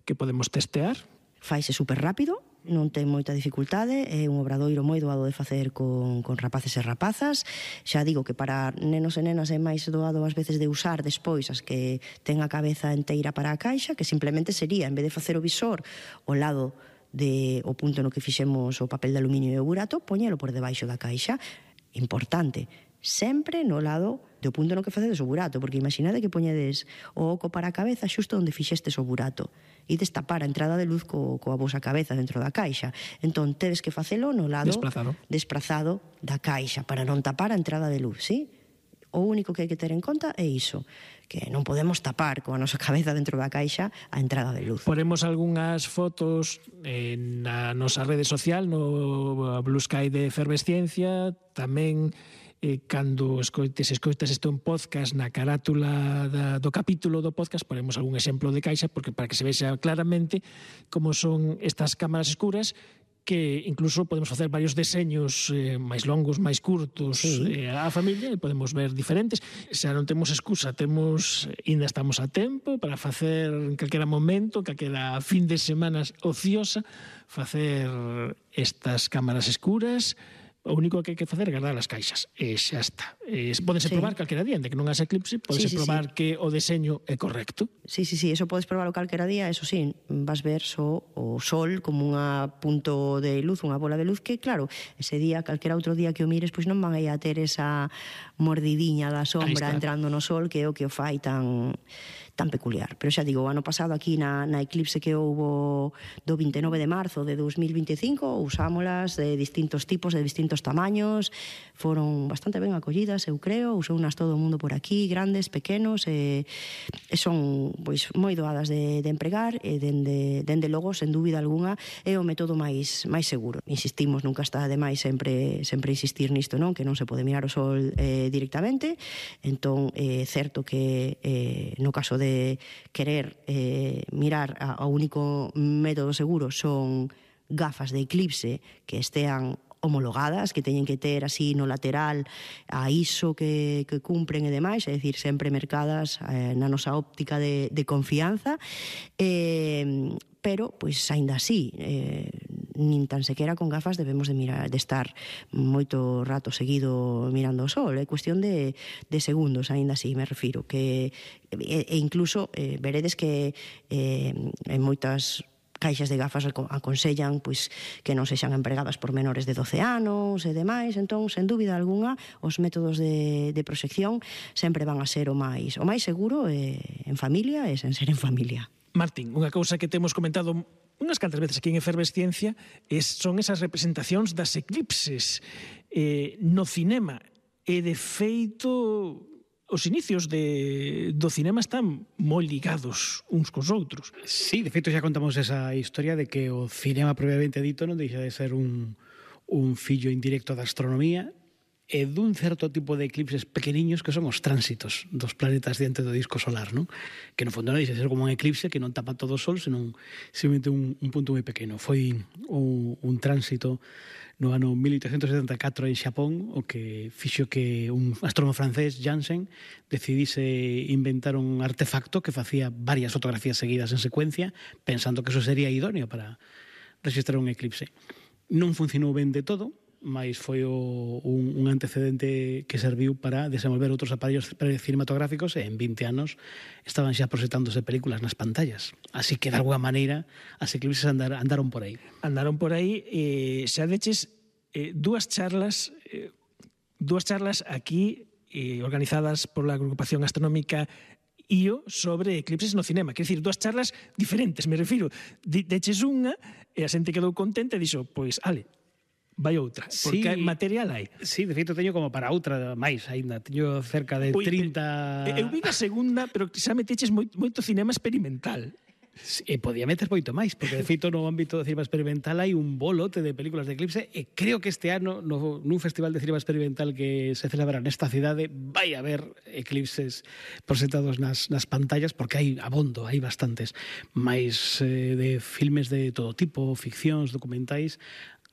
que podemos testear. Faise super rápido, non ten moita dificultade, é un obradoiro moi doado de facer con, con rapaces e rapazas. Xa digo que para nenos e nenas é máis doado ás veces de usar despois as que ten a cabeza enteira para a caixa, que simplemente sería, en vez de facer o visor ao lado de o punto no que fixemos o papel de aluminio e o burato, poñelo por debaixo da caixa. Importante, sempre no lado do punto no que facedes o burato, porque imaginade que poñedes o oco para a cabeza xusto onde fixestes o burato e destapar a entrada de luz co, coa vosa cabeza dentro da caixa. Entón, tedes que facelo no lado Desprazado. desprazado da caixa para non tapar a entrada de luz, sí? O único que hai que ter en conta é iso, que non podemos tapar coa nosa cabeza dentro da caixa a entrada de luz. Poremos algunhas fotos na nosa rede social, no Blue Sky de Efervesciencia, tamén eh, cando escoites, escoitas isto en podcast, na carátula da, do capítulo do podcast poremos algún exemplo de caixa, porque para que se vexa claramente como son estas cámaras escuras, que incluso podemos facer varios deseños eh, máis longos, máis curtos, sí, eh, á familia, e podemos ver diferentes. Xa non temos excusa, temos, ainda estamos a tempo para facer en calquera momento, calquera fin de semanas ociosa, facer estas cámaras escuras. O único que hai que facer é guardar as caixas e xa está. Eh, podense sí. probar calquera día, de que non haxa eclipse, podense sí, sí, probar sí. que o deseño é correcto. Sí, sí, sí, eso podes probarlo calquera día, eso sí, vas ver só o sol como unha punto de luz, unha bola de luz que, claro, ese día, calquera outro día que o mires, pois non van a ter esa mordidiña da sombra entrando no sol, que é o que o fai tan tan peculiar. Pero xa digo, o ano pasado aquí na, na eclipse que houbo do vinte e nove de marzo de dos mil vinte e cinco, usámolas de distintos tipos, de distintos tamaños, foron bastante ben acollidas, eu creo, usounas todo o mundo por aquí, grandes, pequenos, e, e son pois moi doadas de, de empregar, e dende, dende logo, sen dúbida algunha, é o método máis máis seguro. Insistimos, nunca está de máis sempre sempre insistir nisto, non? Que non se pode mirar o sol eh, directamente, entón é certo que eh, no caso de querer eh, mirar ao único método seguro son gafas de eclipse que estean homologadas, que teñen que ter así no lateral a ISO que, que cumpren e demais, é dicir, sempre mercadas eh, na nosa óptica de, de confianza, eh, pero, pois, aínda así, eh, nin tan sequera con gafas debemos de mirar, de estar moito rato seguido mirando o sol, é cuestión de, de segundos, aínda así, me refiro, que e, e incluso eh, veredes que eh, en moitas caixas de gafas aconsellan pois que non sexan empregadas por menores de doce anos e demais, entón, sen dúbida algunha, os métodos de, de proxección sempre van a ser o máis o máis seguro eh, en familia e sen ser en familia. Martín, unha cousa que temos comentado unhas cantas veces aquí en Efervesciencia es, son esas representacións das eclipses eh, no cinema, e de feito os inicios de, do cinema están moi ligados uns cos outros. Sí, de feito xa contamos esa historia de que o cinema propiamente dito non deixa de ser un, un fillo indirecto da astronomía e dun certo tipo de eclipses pequeniños que son os tránsitos dos planetas diante do disco solar, non? Que no fondo non deixa de ser como un eclipse que non tapa todo o sol, senón simplemente un, un punto moi pequeno. Foi un, un tránsito no ano mil oitocentos setenta e catro en Xapón o que fixo que un astrónomo francés, Janssen, decidise inventar un artefacto que facía varias fotografías seguidas en secuencia pensando que eso sería idóneo para registrar un eclipse. Non funcionou ben de todo, mas foi o, un, un antecedente que serviu para desenvolver outros aparellos cinematográficos e en vinte anos estaban xa proxectándose películas nas pantallas. Así que, de alguna maneira, as eclipses andar, andaron por aí. Andaron por aí, eh, xa deches eh, dúas charlas eh, dúas charlas aquí eh, organizadas pola agrupación astronómica I O sobre eclipses no cinema. Quer dicir, dúas charlas diferentes, me refiro. Deches unha e a xente quedou contenta e dixo, pois, ale, vai outra, porque sí, material hai. Sí, de feito teño como para outra máis aínda, teño cerca de trinta... Eu vi a segunda, pero xa meteches moito, moito cinema experimental. E podía meter moito máis, porque de feito no ámbito do cinema experimental hai un bolote de películas de eclipse e creo que este ano no, nun festival de cinema experimental que se celebra nesta cidade vai haber eclipses proxectados nas, nas pantallas porque hai abondo, hai bastantes máis eh, de filmes de todo tipo, ficcións, documentais.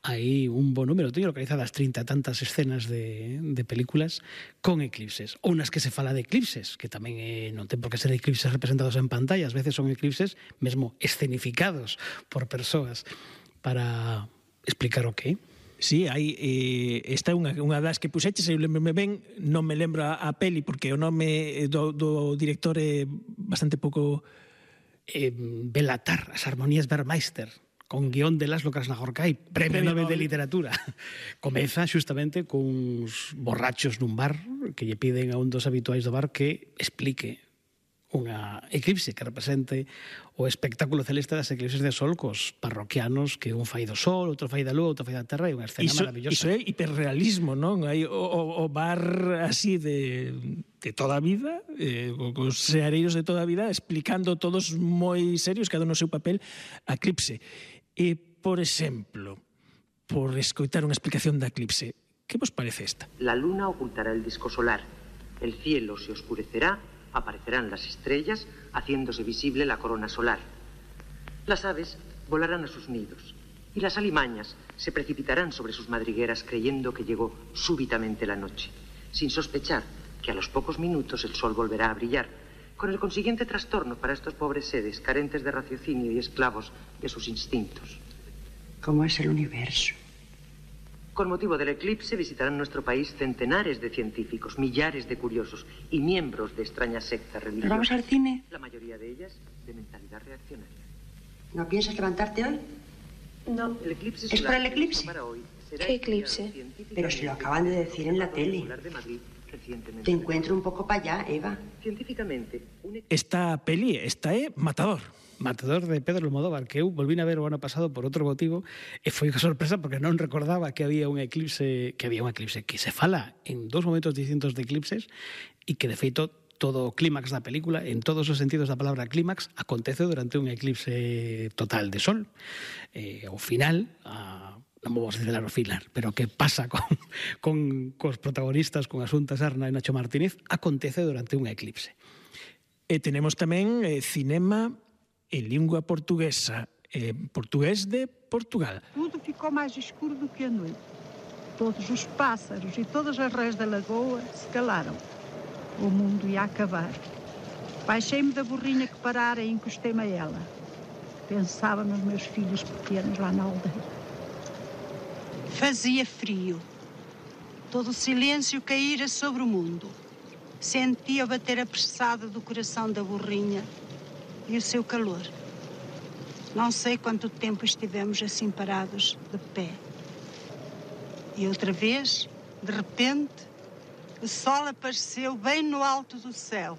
Hai un bo número, teño localizadas trinta e tantas escenas de, de películas con eclipses, ou nas que se fala de eclipses, que tamén eh, non ten por que ser eclipses representados en pantalla, ás veces son eclipses mesmo escenificados por persoas para explicar o que. Sí, hai, eh, esta é unha, unha das que puxeches, eu lembrome ben, non me lembro a, a peli, porque o nome do, do director é bastante pouco... Eh, Belatar, as armonías Vermeister, con guión de Laszlo Krasznahorkai, premio Nobel de Literatura. Comeza xustamente cuns borrachos nun bar que lle piden a un dos habituais do bar que explique unha eclipse que represente o espectáculo celeste das eclipses de sol cos parroquianos que un fai do sol, outro fai da lúa, outro fai da terra, e unha escena iso, maravillosa. Iso é hiperrealismo, non? Hai o, o, o bar así de, de toda a vida, eh, os seareiros de toda a vida, explicando todos moi serios, cada un no seu papel, a eclipse. E, por exemplo, por escoitar unha explicación da eclipse, que vos parece esta? La luna ocultará el disco solar, el cielo se oscurecerá, aparecerán las estrellas, haciéndose visible la corona solar. Las aves volarán a sus nidos y las alimañas se precipitarán sobre sus madrigueras creyendo que llegó súbitamente la noche, sin sospechar que a los pocos minutos el sol volverá a brillar, con el consiguiente trastorno para estos pobres seres carentes de raciocinio y esclavos de sus instintos. ¿Cómo es el universo? Con motivo del eclipse visitarán nuestro país centenares de científicos, millares de curiosos y miembros de extrañas sectas religiosas. ¿Nos vamos al cine? La mayoría de ellas de mentalidad reaccionaria. ¿No piensas levantarte hoy? No. El eclipse ¿Es por el eclipse? para hoy será ¿Qué eclipse? Pero si lo acaban de decir en la tele. Te encuentro un pouco para allá, Eva. Científicamente, un... Esta peli, esta é Matador. Matador de Pedro Almodóvar, que eu volvín a ver o ano pasado por outro motivo e foi unha sorpresa porque non recordaba que había un eclipse, que había un eclipse que se fala en dos momentos distintos de eclipses e que de feito todo o clímax da película, en todos os sentidos da palabra clímax, acontece durante un eclipse total de sol. Eh, ao final, a non vamos a desvelar o final, pero que pasa con, con cos protagonistas, con Asunta Serna e Nacho Martínez, acontece durante un eclipse. E tenemos tamén eh, cinema en lingua portuguesa, eh, portugués de Portugal. Tudo ficou mais escuro do que a noite. Todos os pássaros e todas as rãs da lagoa se calaram. O mundo ia acabar. Baixei-me da burrinha que parara e encostei-me a ela. Pensava nos meus filhos pequenos lá na aldeia. Fazia frio. Todo o silêncio caíra sobre o mundo. Sentia o bater apressado do coração da burrinha e o seu calor. Não sei quanto tempo estivemos assim parados, de pé. E outra vez, de repente, o sol apareceu bem no alto do céu.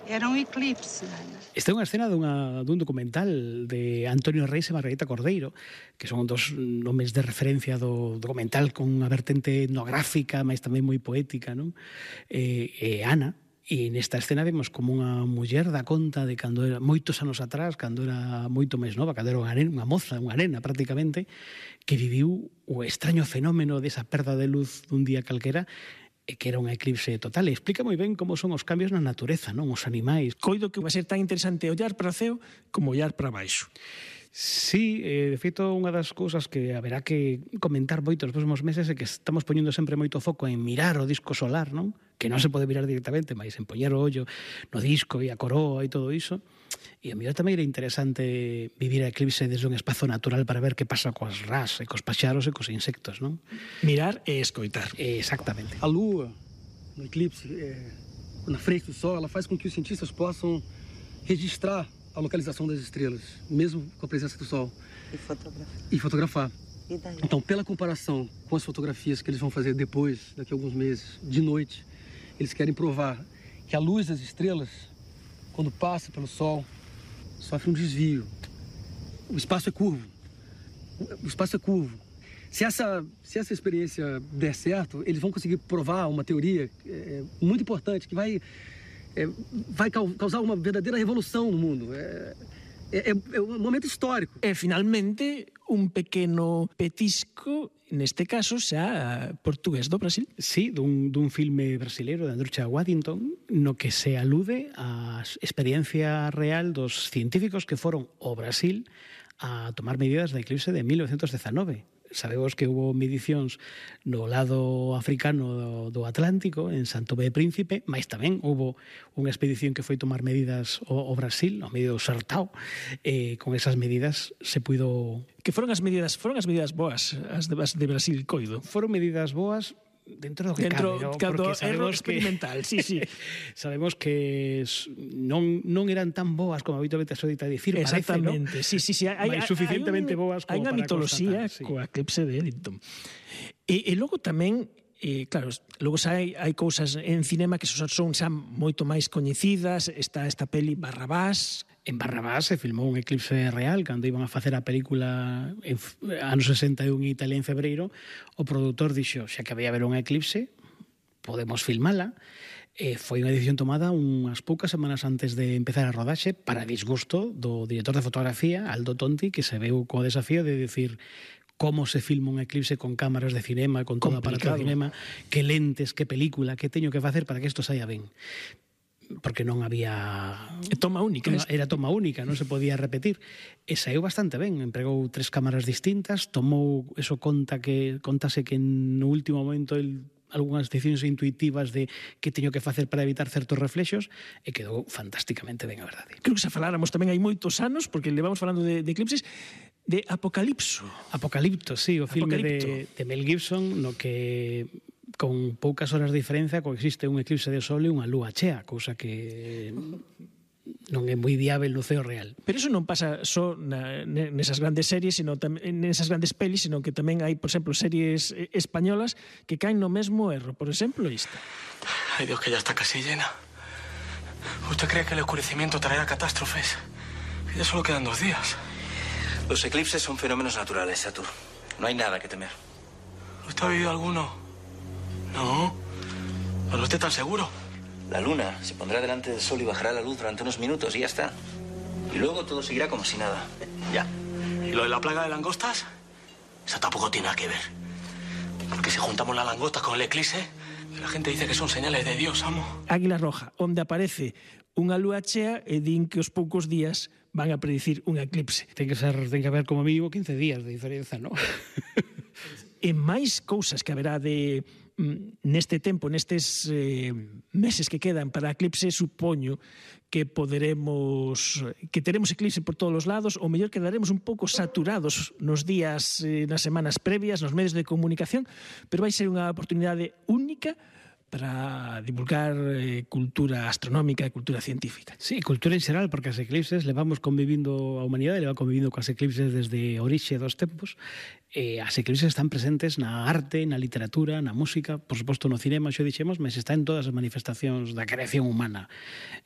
Era un eclipse, Ana. Esta é unha escena dunha, dun documental de Antonio Reis e Margarita Cordeiro, que son dos nomes de referencia do documental con unha vertente etnográfica, mas tamén moi poética, non? E, e Ana, e nesta escena vemos como unha muller dá conta de cando era moitos anos atrás, cando era moito máis nova, cando era unha, nena, unha moza, unha nena prácticamente, que viviu o extraño fenómeno desa perda de luz dun día calquera, e que era un eclipse total. E explica moi ben como son os cambios na natureza, non? Os animais. Coido que vai ser tan interesante ollar para o ceo como ollar para baixo. Sí, eh, de feito, unha das cousas que haberá que comentar moito nos próximos meses é que estamos poñendo sempre moito foco en mirar o disco solar, non? Que non se pode mirar directamente, mas en poñer o ollo no disco e a coroa e todo iso. E a mellor tamén era interesante vivir a eclipse desde un espazo natural para ver que pasa coas rás e cos paxaros e cos insectos, non? Mirar e escoitar. Exactamente. A lua, no eclipse, é, na frente do sol, ela faz com que os cientistas possam registrar a localização das estrelas, mesmo com a presença do sol. E fotografar. E fotografar. E daí? Então, pela comparação com as fotografias que eles vão fazer depois, daqui a alguns meses, de noite, eles querem provar que a luz das estrelas, quando passa pelo sol, sofre um desvio. O espaço é curvo. O espaço é curvo. Se essa, se essa experiência der certo, eles vão conseguir provar uma teoria é, muito importante, que vai... É, vai causar uma verdadeira revolução no mundo. É, é, é um momento histórico. E, finalmente, un pequeno petisco, neste caso, xa portugués do Brasil. Sí, dun, dun filme brasileiro de Andrucha Waddington, no que se alude á experiencia real dos científicos que foron ao Brasil a tomar medidas da eclipse de mil novecientos dezanove. Sabemos que hubo medicións no lado africano do, do Atlántico, en Santo Tomé e Príncipe, mas tamén hubo unha expedición que foi tomar medidas ao, ao Brasil, ao medio do Sertao, e con esas medidas se puido... Que foron as medidas, foron as medidas boas, as de, as de Brasil, coido? Foron medidas boas dentro do que dentro, cabe, ¿no? Porque sabemos experimental, que, sí, sí. Sabemos que non, non eran tan boas como habitualmente se dita dicir, exactamente, parece, ¿no? sí, sí, sí, hai, hai suficientemente hai un, boas como hai unha para mitoloxía constatar, sí. coa eclipse de Eddington. E, e logo tamén, eh, claro, logo xa hai, hai cousas en cinema que son, son xa moito máis coñecidas. Está esta peli Barrabás. En Barrabás se filmou un eclipse real cando iban a facer a película en anos sesenta e un en Italia en febreiro. O produtor dixo, xa que había haber un eclipse, podemos filmala. E foi unha decisión tomada unhas poucas semanas antes de empezar a rodaxe para disgusto do director de fotografía, Aldo Tonti, que se veu co desafío de decir como se filma un eclipse con cámaras de cinema, con todo aparato de cinema, que lentes, que película, que teño que facer para que isto saia ben. Porque non había... Toma única. Era toma única, non se podía repetir. E saiu bastante ben, empregou tres cámaras distintas, tomou, eso conta que, contase que no último momento el algunhas decisións intuitivas de que teño que facer para evitar certos reflexos e quedou fantásticamente ben, a verdade. Creo que xa faláramos tamén hai moitos anos, porque levamos falando de, de eclipses, de Apocalipso. Apocalipto, sí, o filme Apocalipto. de, de Mel Gibson, no que con poucas horas de diferencia coexiste un eclipse de sol e unha lúa chea, cousa que non é moi viável no ceo real. Pero eso non pasa só na, nesas grandes series, sino tamén nesas grandes pelis, sino que tamén hai, por exemplo, series españolas que caen no mesmo erro. Por exemplo, esta. Ay, Dios, que ya está casi llena. ¿Usted cree que el oscurecimiento traerá catástrofes? Ya solo quedan dos días. Los eclipses son fenómenos naturales, Satur. No hay nada que temer. ¿Usted ha oído alguno? No. ¿Pero usted tan seguro? La luna se pondrá delante del sol y bajará la luz durante unos minutos y ya está. Y luego todo seguirá como si nada. Ya. ¿Y lo de la plaga de langostas? Eso tampoco tiene nada que ver. Porque si juntamos la langosta con el eclipse, la gente dice que son señales de Dios, amo. Águila Roja, onde aparece unha lúa chea e din que os poucos días van a predicir un eclipse. Ten que ser, ten que haber como mínimo quince días de diferenza, non? E máis cousas que haberá de neste tempo, nestes eh, meses que quedan para a eclipse, supoño que poderemos, que teremos eclipse por todos os lados, ou mellor quedaremos un pouco saturados nos días, eh, nas semanas previas, nos medios de comunicación, pero vai ser unha oportunidade única para divulgar eh, cultura astronómica e cultura científica. Sí, cultura en xeral, porque as eclipses levamos convivindo, a humanidade leva convivindo coas eclipses desde a orixe dos tempos, e as eclipses están presentes na arte, na literatura, na música, por suposto no cinema, xo dixemos, mas está en todas as manifestacións da creación humana.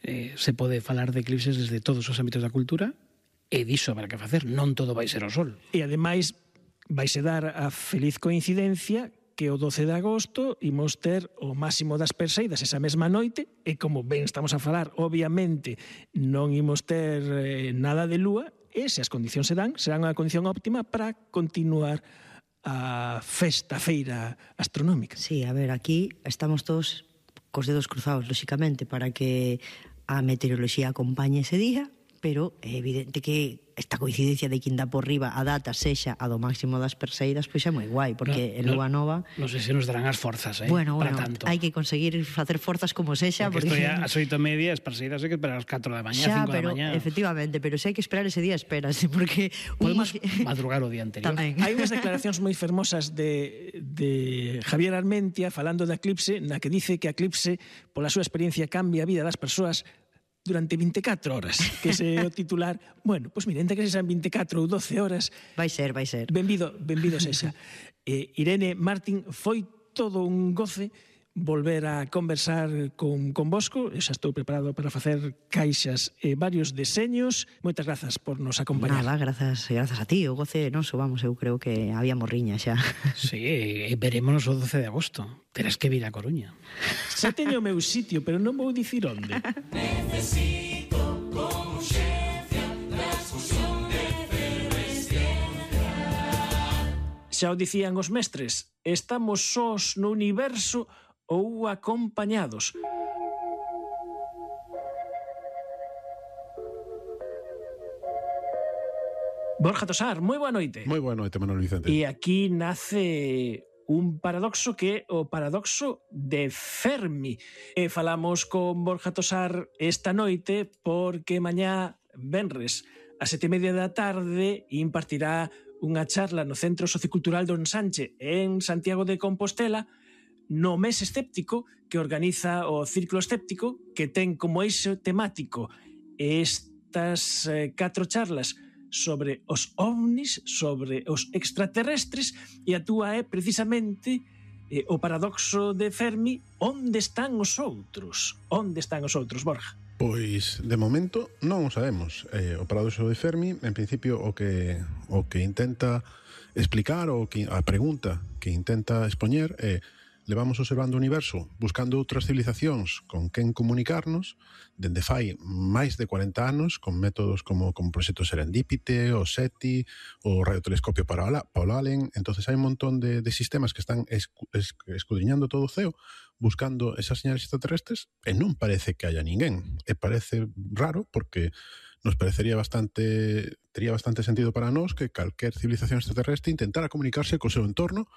Eh, se pode falar de eclipses desde todos os ámbitos da cultura, e diso habrá que facer, non todo vai ser o sol. E ademais vaise dar a feliz coincidencia que o doce de agosto imos ter o máximo das Perseidas esa mesma noite, e como ben estamos a falar, obviamente non imos ter eh, nada de lúa, e se as condicións se dan, será unha condición óptima para continuar a festa, a feira astronómica. Sí, a ver, aquí estamos todos cos dedos cruzados, lóxicamente, para que a meteoroloxía acompañe ese día, pero é evidente que esta coincidencia de que inda por riba a data sexa a do máximo das Perseidas, pois é moi guai, porque en no, Lúa Nova... Non sei se nos darán as forzas, eh, bueno, para bueno, tanto. hai que conseguir facer forzas como sexa, porque... porque... Porque ás oito e media, as Perseidas hai que esperar ás catro da mañá, xa, cinco pero, da mañá. Efectivamente, pero se hai que esperar ese día, espérase, porque... Podemos un... madrugar o día anterior. Tamén. Hai unhas declaracións moi fermosas de, de Javier Armentia falando da eclipse, na que dice que a eclipse, pola súa experiencia, cambia a vida das persoas durante veinticuatro horas, que se o titular, bueno, pois pues mira, entre que sean veinticuatro ou doce horas... Vai ser, vai ser. Benvido, benvido sexa. Eh, Irene, Martín, foi todo un goce volver a conversar con, con vosco. Eu xa estou preparado para facer caixas e varios deseños. Moitas grazas por nos acompañar. Nada, grazas, grazas a ti. O goce noso, vamos, eu creo que había morriña xa. Sí, e verémonos o doce de agosto. Terás que vir a Coruña. Xa teño o meu sitio, pero non vou dicir onde. Necesito con urxencia transfusión de efervesciencia. Xa o dicían os mestres, estamos sós no universo ou acompañados. Borja Tosar, moi boa noite. Moi boa noite, Manuel Vicente. E aquí nace un paradoxo que é o paradoxo de Fermi. E falamos con Borja Tosar esta noite porque mañá, venres, a sete e media da tarde, impartirá unha charla no Centro Sociocultural Don Sánchez en Santiago de Compostela, no mes escéptico que organiza o Círculo Escéptico, que ten como eixo temático estas eh, catro charlas sobre os ovnis, sobre os extraterrestres, e a túa é precisamente eh, o paradoxo de Fermi, onde están os outros? Onde están os outros, Borja? Pois, de momento, non o sabemos. Eh, o paradoxo de Fermi, en principio, o que o que intenta explicar, o que a pregunta que intenta expoñer é: levamos observando o universo buscando outras civilizacións con quen comunicarnos dende fai máis de cuarenta anos, con métodos como, como o proxecto Serendipite, o SETI, o radiotelescopio Paul Allen. Entonces hai un montón de, de sistemas que están escu, escudriñando todo o ceo, buscando esas señales extraterrestres, e non parece que haya ninguén. E parece raro porque nos parecería bastante, tería bastante sentido para nós que calquer civilización extraterrestre intentara comunicarse co seu entorno,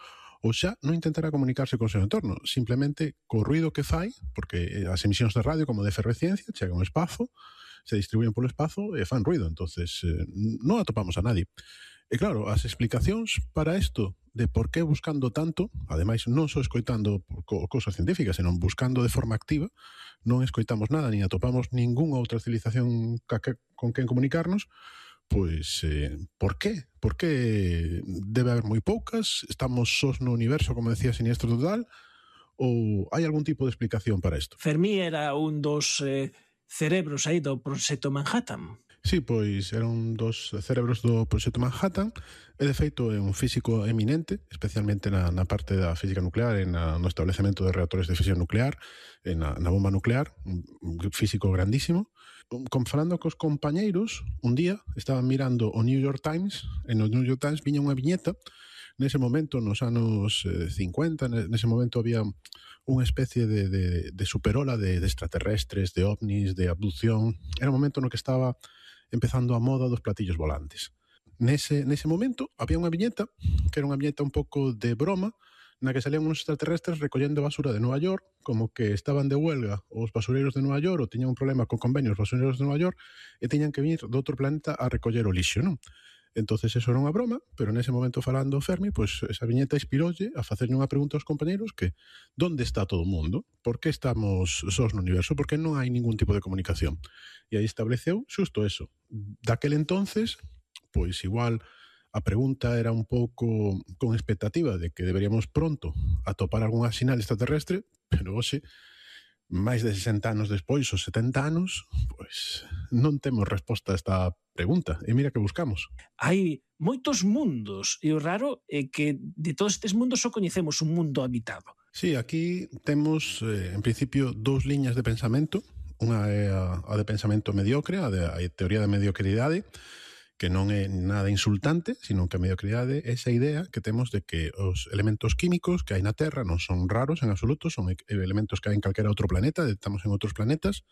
ou xa non intentará comunicarse co seu entorno, simplemente co ruido que fai, porque as emisións de radio como de efervesciencia chegan ao espazo, se distribuyen polo espazo e fan ruido, entonces eh, non atopamos a nadie. E claro, as explicacións para isto de por que buscando tanto, ademais non só escoitando co cousas científicas, senón buscando de forma activa, non escoitamos nada, ni atopamos ningunha outra civilización con quen comunicarnos. Pois, eh, por qué? Por que debe haber moi poucas? Estamos sós no universo, como decía Siniestro Total? Ou hai algún tipo de explicación para isto? Fermi era un dos eh, cerebros aí do Proxecto Manhattan. Sí, pois era un dos cerebros do Proxecto Manhattan, e de feito é un físico eminente, especialmente na, na parte da física nuclear, e na, no establecemento de reactores de fisión nuclear, e na, na bomba nuclear, un físico grandísimo. Con, falando cos compañeiros, un día estaban mirando o New York Times, e no New York Times viña unha viñeta. Nese momento, nos anos eh, cincuenta, nese momento había unha especie de, de, de superola de, de extraterrestres, de ovnis, de abducción. Era un momento no que estaba empezando a moda dos platillos volantes. Nese, nese momento había unha viñeta, que era unha viñeta un pouco de broma, na que salían uns extraterrestres recollendo basura de Nova York, como que estaban de huelga os basureiros de Nova York, ou tiñan un problema con convenios os basureiros de Nova York, e tiñan que vir de outro planeta a recoller o lixo, non? Entonces eso era unha broma, pero nese momento falando Fermi, pois esa viñeta inspiroulle a facerlle unha pregunta aos compañeros que onde está todo o mundo? Por que estamos sós no universo? Por que non hai ningún tipo de comunicación? E aí estableceu xusto eso. Daquel entonces, pois igual a pregunta era un pouco con expectativa de que deberíamos pronto atopar algunha sinal extraterrestre, pero hoxe, máis de sesenta anos despois, ou setenta anos, pois non temos resposta a esta pregunta. E mira que buscamos. Hai moitos mundos, e o raro é que de todos estes mundos só coñecemos un mundo habitado. Sí, aquí temos, eh, en principio, dous liñas de pensamento. Unha é a, a de pensamento mediocre, a, de, a teoría da mediocridade, que non é nada insultante, sino que a mediocridade é esa idea que temos de que os elementos químicos que hai na Terra non son raros en absoluto, son elementos que hai en calquera outro planeta, estamos en outros planetas,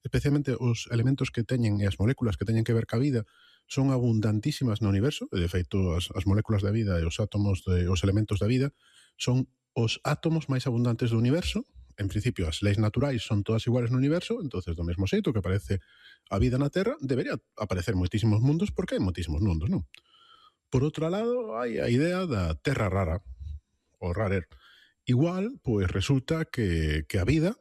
especialmente os elementos que teñen e as moléculas que teñen que ver ca vida son abundantísimas no universo, e de feito as, as moléculas da vida e os átomos, de, os elementos da vida son os átomos máis abundantes do universo. En principio, as leis naturais son todas iguales no universo, entonces do mesmo xeito que aparece a vida na Terra, debería aparecer moitísimos mundos porque hai moitísimos mundos, non? Por outro lado, hai a idea da Terra rara, o rarer. Igual, pois resulta que, que a vida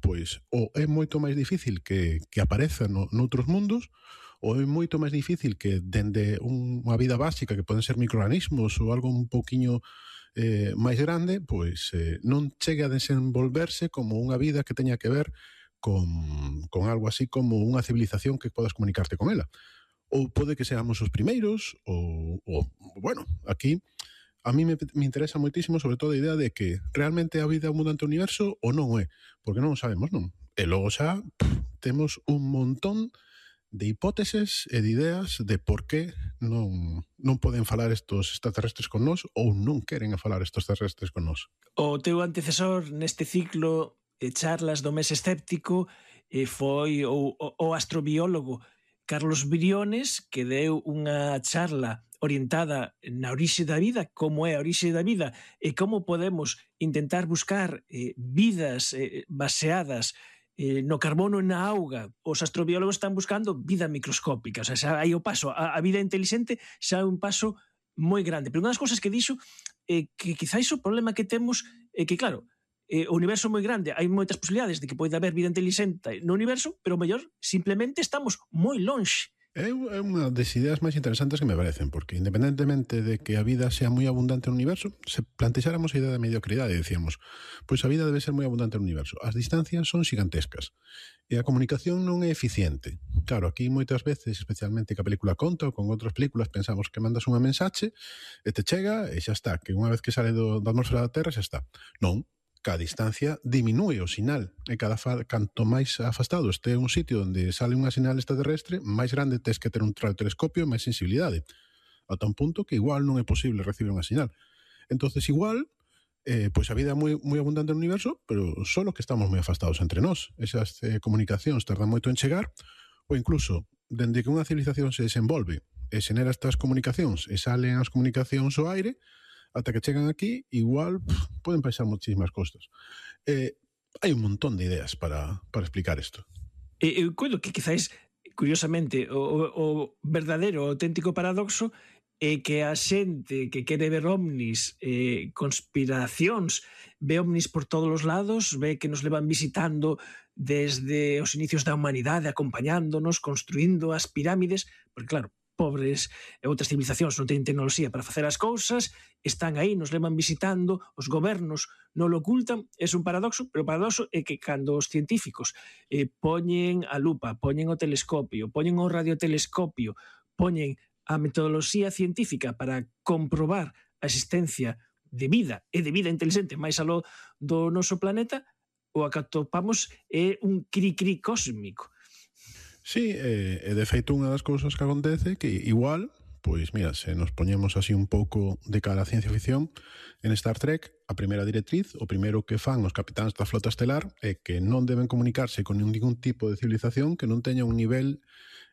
pois ou é moito máis difícil que, que apareza no, noutros mundos, ou é moito máis difícil que dende un, unha vida básica que poden ser microorganismos ou algo un pouquiño eh, máis grande, pois eh, non chegue a desenvolverse como unha vida que teña que ver con, con algo así como unha civilización que podas comunicarte con ela. Ou pode que seamos os primeiros, ou, ou bueno, aquí a mí me, me interesa moitísimo sobre todo a idea de que realmente a vida é un mundo ante o universo ou non é, porque non o sabemos, non? E logo xa pff, temos un montón de hipóteses e de ideas de por que non, non poden falar estos extraterrestres con nós ou non queren falar estos extraterrestres con nós. O teu antecesor neste ciclo de charlas do mes escéptico eh, foi o, o, o astrobiólogo Carlos Briones, que deu unha charla orientada na orixe da vida, como é a orixe da vida e como podemos intentar buscar eh, vidas eh, baseadas Eh, no carbono e na auga. Os astrobiólogos están buscando vida microscópica, o sea, xa hai o paso a, a vida inteligente, xa é un paso moi grande. Pero unha das cousas que dixo é eh, que quizáis o problema que temos é eh, que, claro, eh, o universo é moi grande, hai moitas posibilidades de que poida haber vida inteligente no universo, pero o mellor simplemente estamos moi lonxe. É unha das ideas máis interesantes que me parecen, porque independentemente de que a vida sea moi abundante no universo, se plantexáramos a idea de mediocridade e dicíamos, pois a vida debe ser moi abundante no universo. As distancias son xigantescas e a comunicación non é eficiente. Claro, aquí moitas veces, especialmente que a película conta ou con outras películas, pensamos que mandas unha mensaxe e te chega e xa está, que unha vez que sale do, da atmosfera da Terra xa está. Non. Cada distancia diminúe o sinal e cada fa, canto máis afastado este un sitio onde sale unha sinal extraterrestre, máis grande tes que ter un radiotelescopio e máis sensibilidade, ata un punto que igual non é posible recibir unha sinal. Entonces igual eh, pois a vida é moi, moi abundante no universo, pero solo que estamos moi afastados entre nós. Esas eh, comunicacións tardan moito en chegar, ou incluso dende que unha civilización se desenvolve e xenera estas comunicacións e salen as comunicacións ao aire, ata que chegan aquí, igual pff, poden pasar muchísimas cosas. Eh, hai un montón de ideas para, para explicar isto. E eu coido que quizáis, curiosamente, o, o, o verdadeiro, o auténtico paradoxo é que a xente que quere ver ovnis, eh, conspiracións, ve ovnis por todos os lados, ve que nos levan visitando desde os inicios da humanidade, acompañándonos, construindo as pirámides, porque claro, pobres e outras civilizacións non teñen tecnoloxía para facer as cousas, están aí, nos levan visitando, os gobernos non lo ocultan, é un paradoxo, pero o paradoxo é que cando os científicos eh, poñen a lupa, poñen o telescopio, poñen o radiotelescopio, poñen a metodoloxía científica para comprobar a existencia de vida e de vida inteligente máis aló do noso planeta, o que atopamos é un cri-cri cósmico. Sí, e eh, de feito unha das cousas que acontece que igual, pois mira, se nos poñemos así un pouco de cara a ciencia ficción, en Star Trek, a primeira directriz, o primeiro que fan os capitáns da flota estelar é que non deben comunicarse con ningún tipo de civilización que non teña un nivel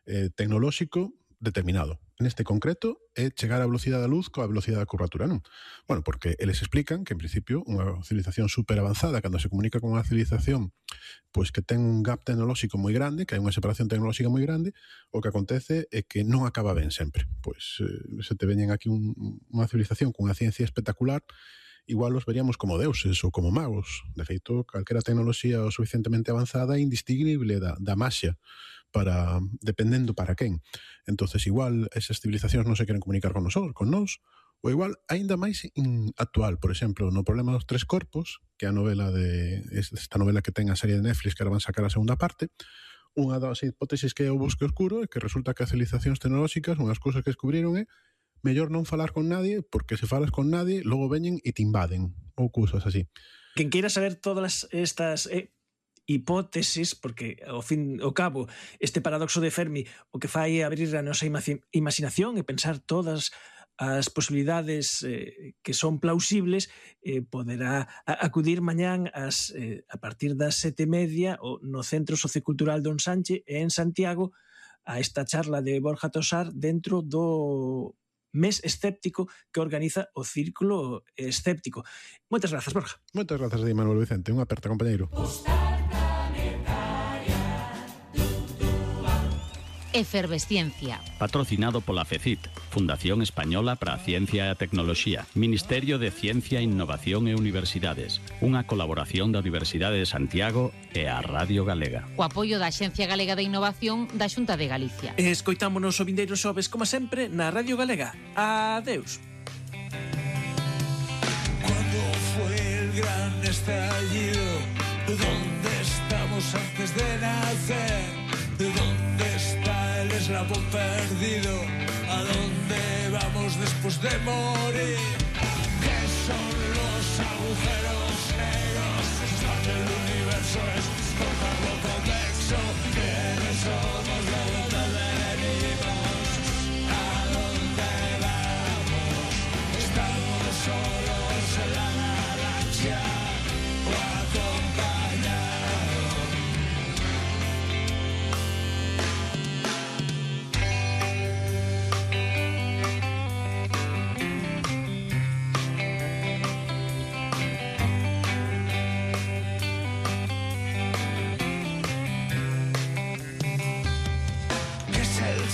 eh, tecnolóxico determinado. Neste concreto é chegar á velocidade da luz coa velocidade da curvatura, non? Bueno, porque eles explican que en principio unha civilización super avanzada, cando se comunica con unha civilización pois que ten un gap tecnolóxico moi grande, que hai unha separación tecnolóxica moi grande, o que acontece é que non acaba ben sempre. Pois eh, se te veñen aquí un, unha civilización con unha ciencia espectacular, igual os veríamos como deuses ou como magos. De feito, calquera tecnoloxía o suficientemente avanzada é indistinguible da, da maxia, para dependendo para quen. Entonces igual esas civilizacións non se queren comunicar con nosotros, con nós, ou igual aínda máis in actual, por exemplo, no problema dos tres corpos, que é a novela de esta novela que ten a serie de Netflix que ahora van sacar a segunda parte, unha das hipótesis que é o bosque oscuro é que resulta que as civilizacións tecnolóxicas, unhas cousas que descubriron é mellor non falar con nadie, porque se falas con nadie, logo veñen e te invaden, ou cousas así. Quen queira saber todas estas eh, hipótesis, porque ao fin ao cabo este paradoxo de Fermi o que fai é abrir a nosa imaginación e pensar todas as posibilidades eh, que son plausibles, eh, poderá acudir mañán as, eh, a partir das sete e media o no Centro Sociocultural Don Sánchez en Santiago a esta charla de Borja Tosar dentro do mes escéptico que organiza o Círculo Escéptico. Moitas grazas, Borja. Moitas grazas a ti, Manuel Vicente. Unha aperta, compañeiro. Efervesciencia. Patrocinado pola FECIT, Fundación Española para a Ciencia e a Tecnoloxía, Ministerio de Ciencia, Innovación e Universidades, unha colaboración da Universidade de Santiago e a Radio Galega. O apoio da Axencia Galega de Innovación da Xunta de Galicia. Escoitámonos o vindeiro xoves, como sempre, na Radio Galega. Adeus. Cuando fue el gran estallido, ¿dónde estamos antes de nacer? ¿Dónde está el eslabón perdido? ¿A dónde vamos después de morir? ¿Qué son los agujeros negros? ¿Dónde el universo es cortado convexo? ¿Quiénes somos? ¿De dónde venimos? ¿A dónde vamos? ¿Estamos solos en la galaxia o acompañados?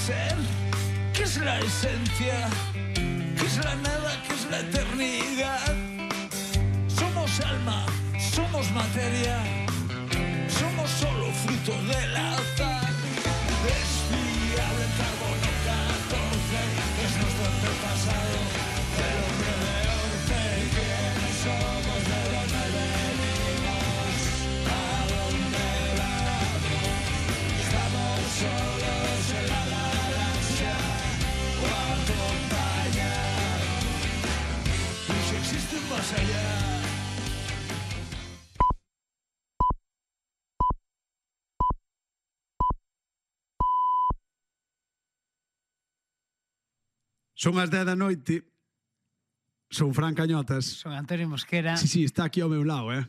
Ser, ¿qué es la esencia? ¿Qué es la nada? ¿Qué es la eternidad? Somos alma, somos materia, somos solo fruto del azar. Es fiable el carbono catorce, es nuestro antepasado, el hombre de Orce. ¿Quiénes somos? ¿De dónde venimos? ¿A dónde vamos? Estamos solos en la galaxia o acompañados. Y si existe un más allá. Son as dez da noite. Son Fran Cañotas. Son Antonio Mosquera. Sí, sí, está aquí ao meu lado, eh.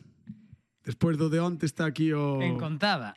Despois do de onte está aquí o... En contaba.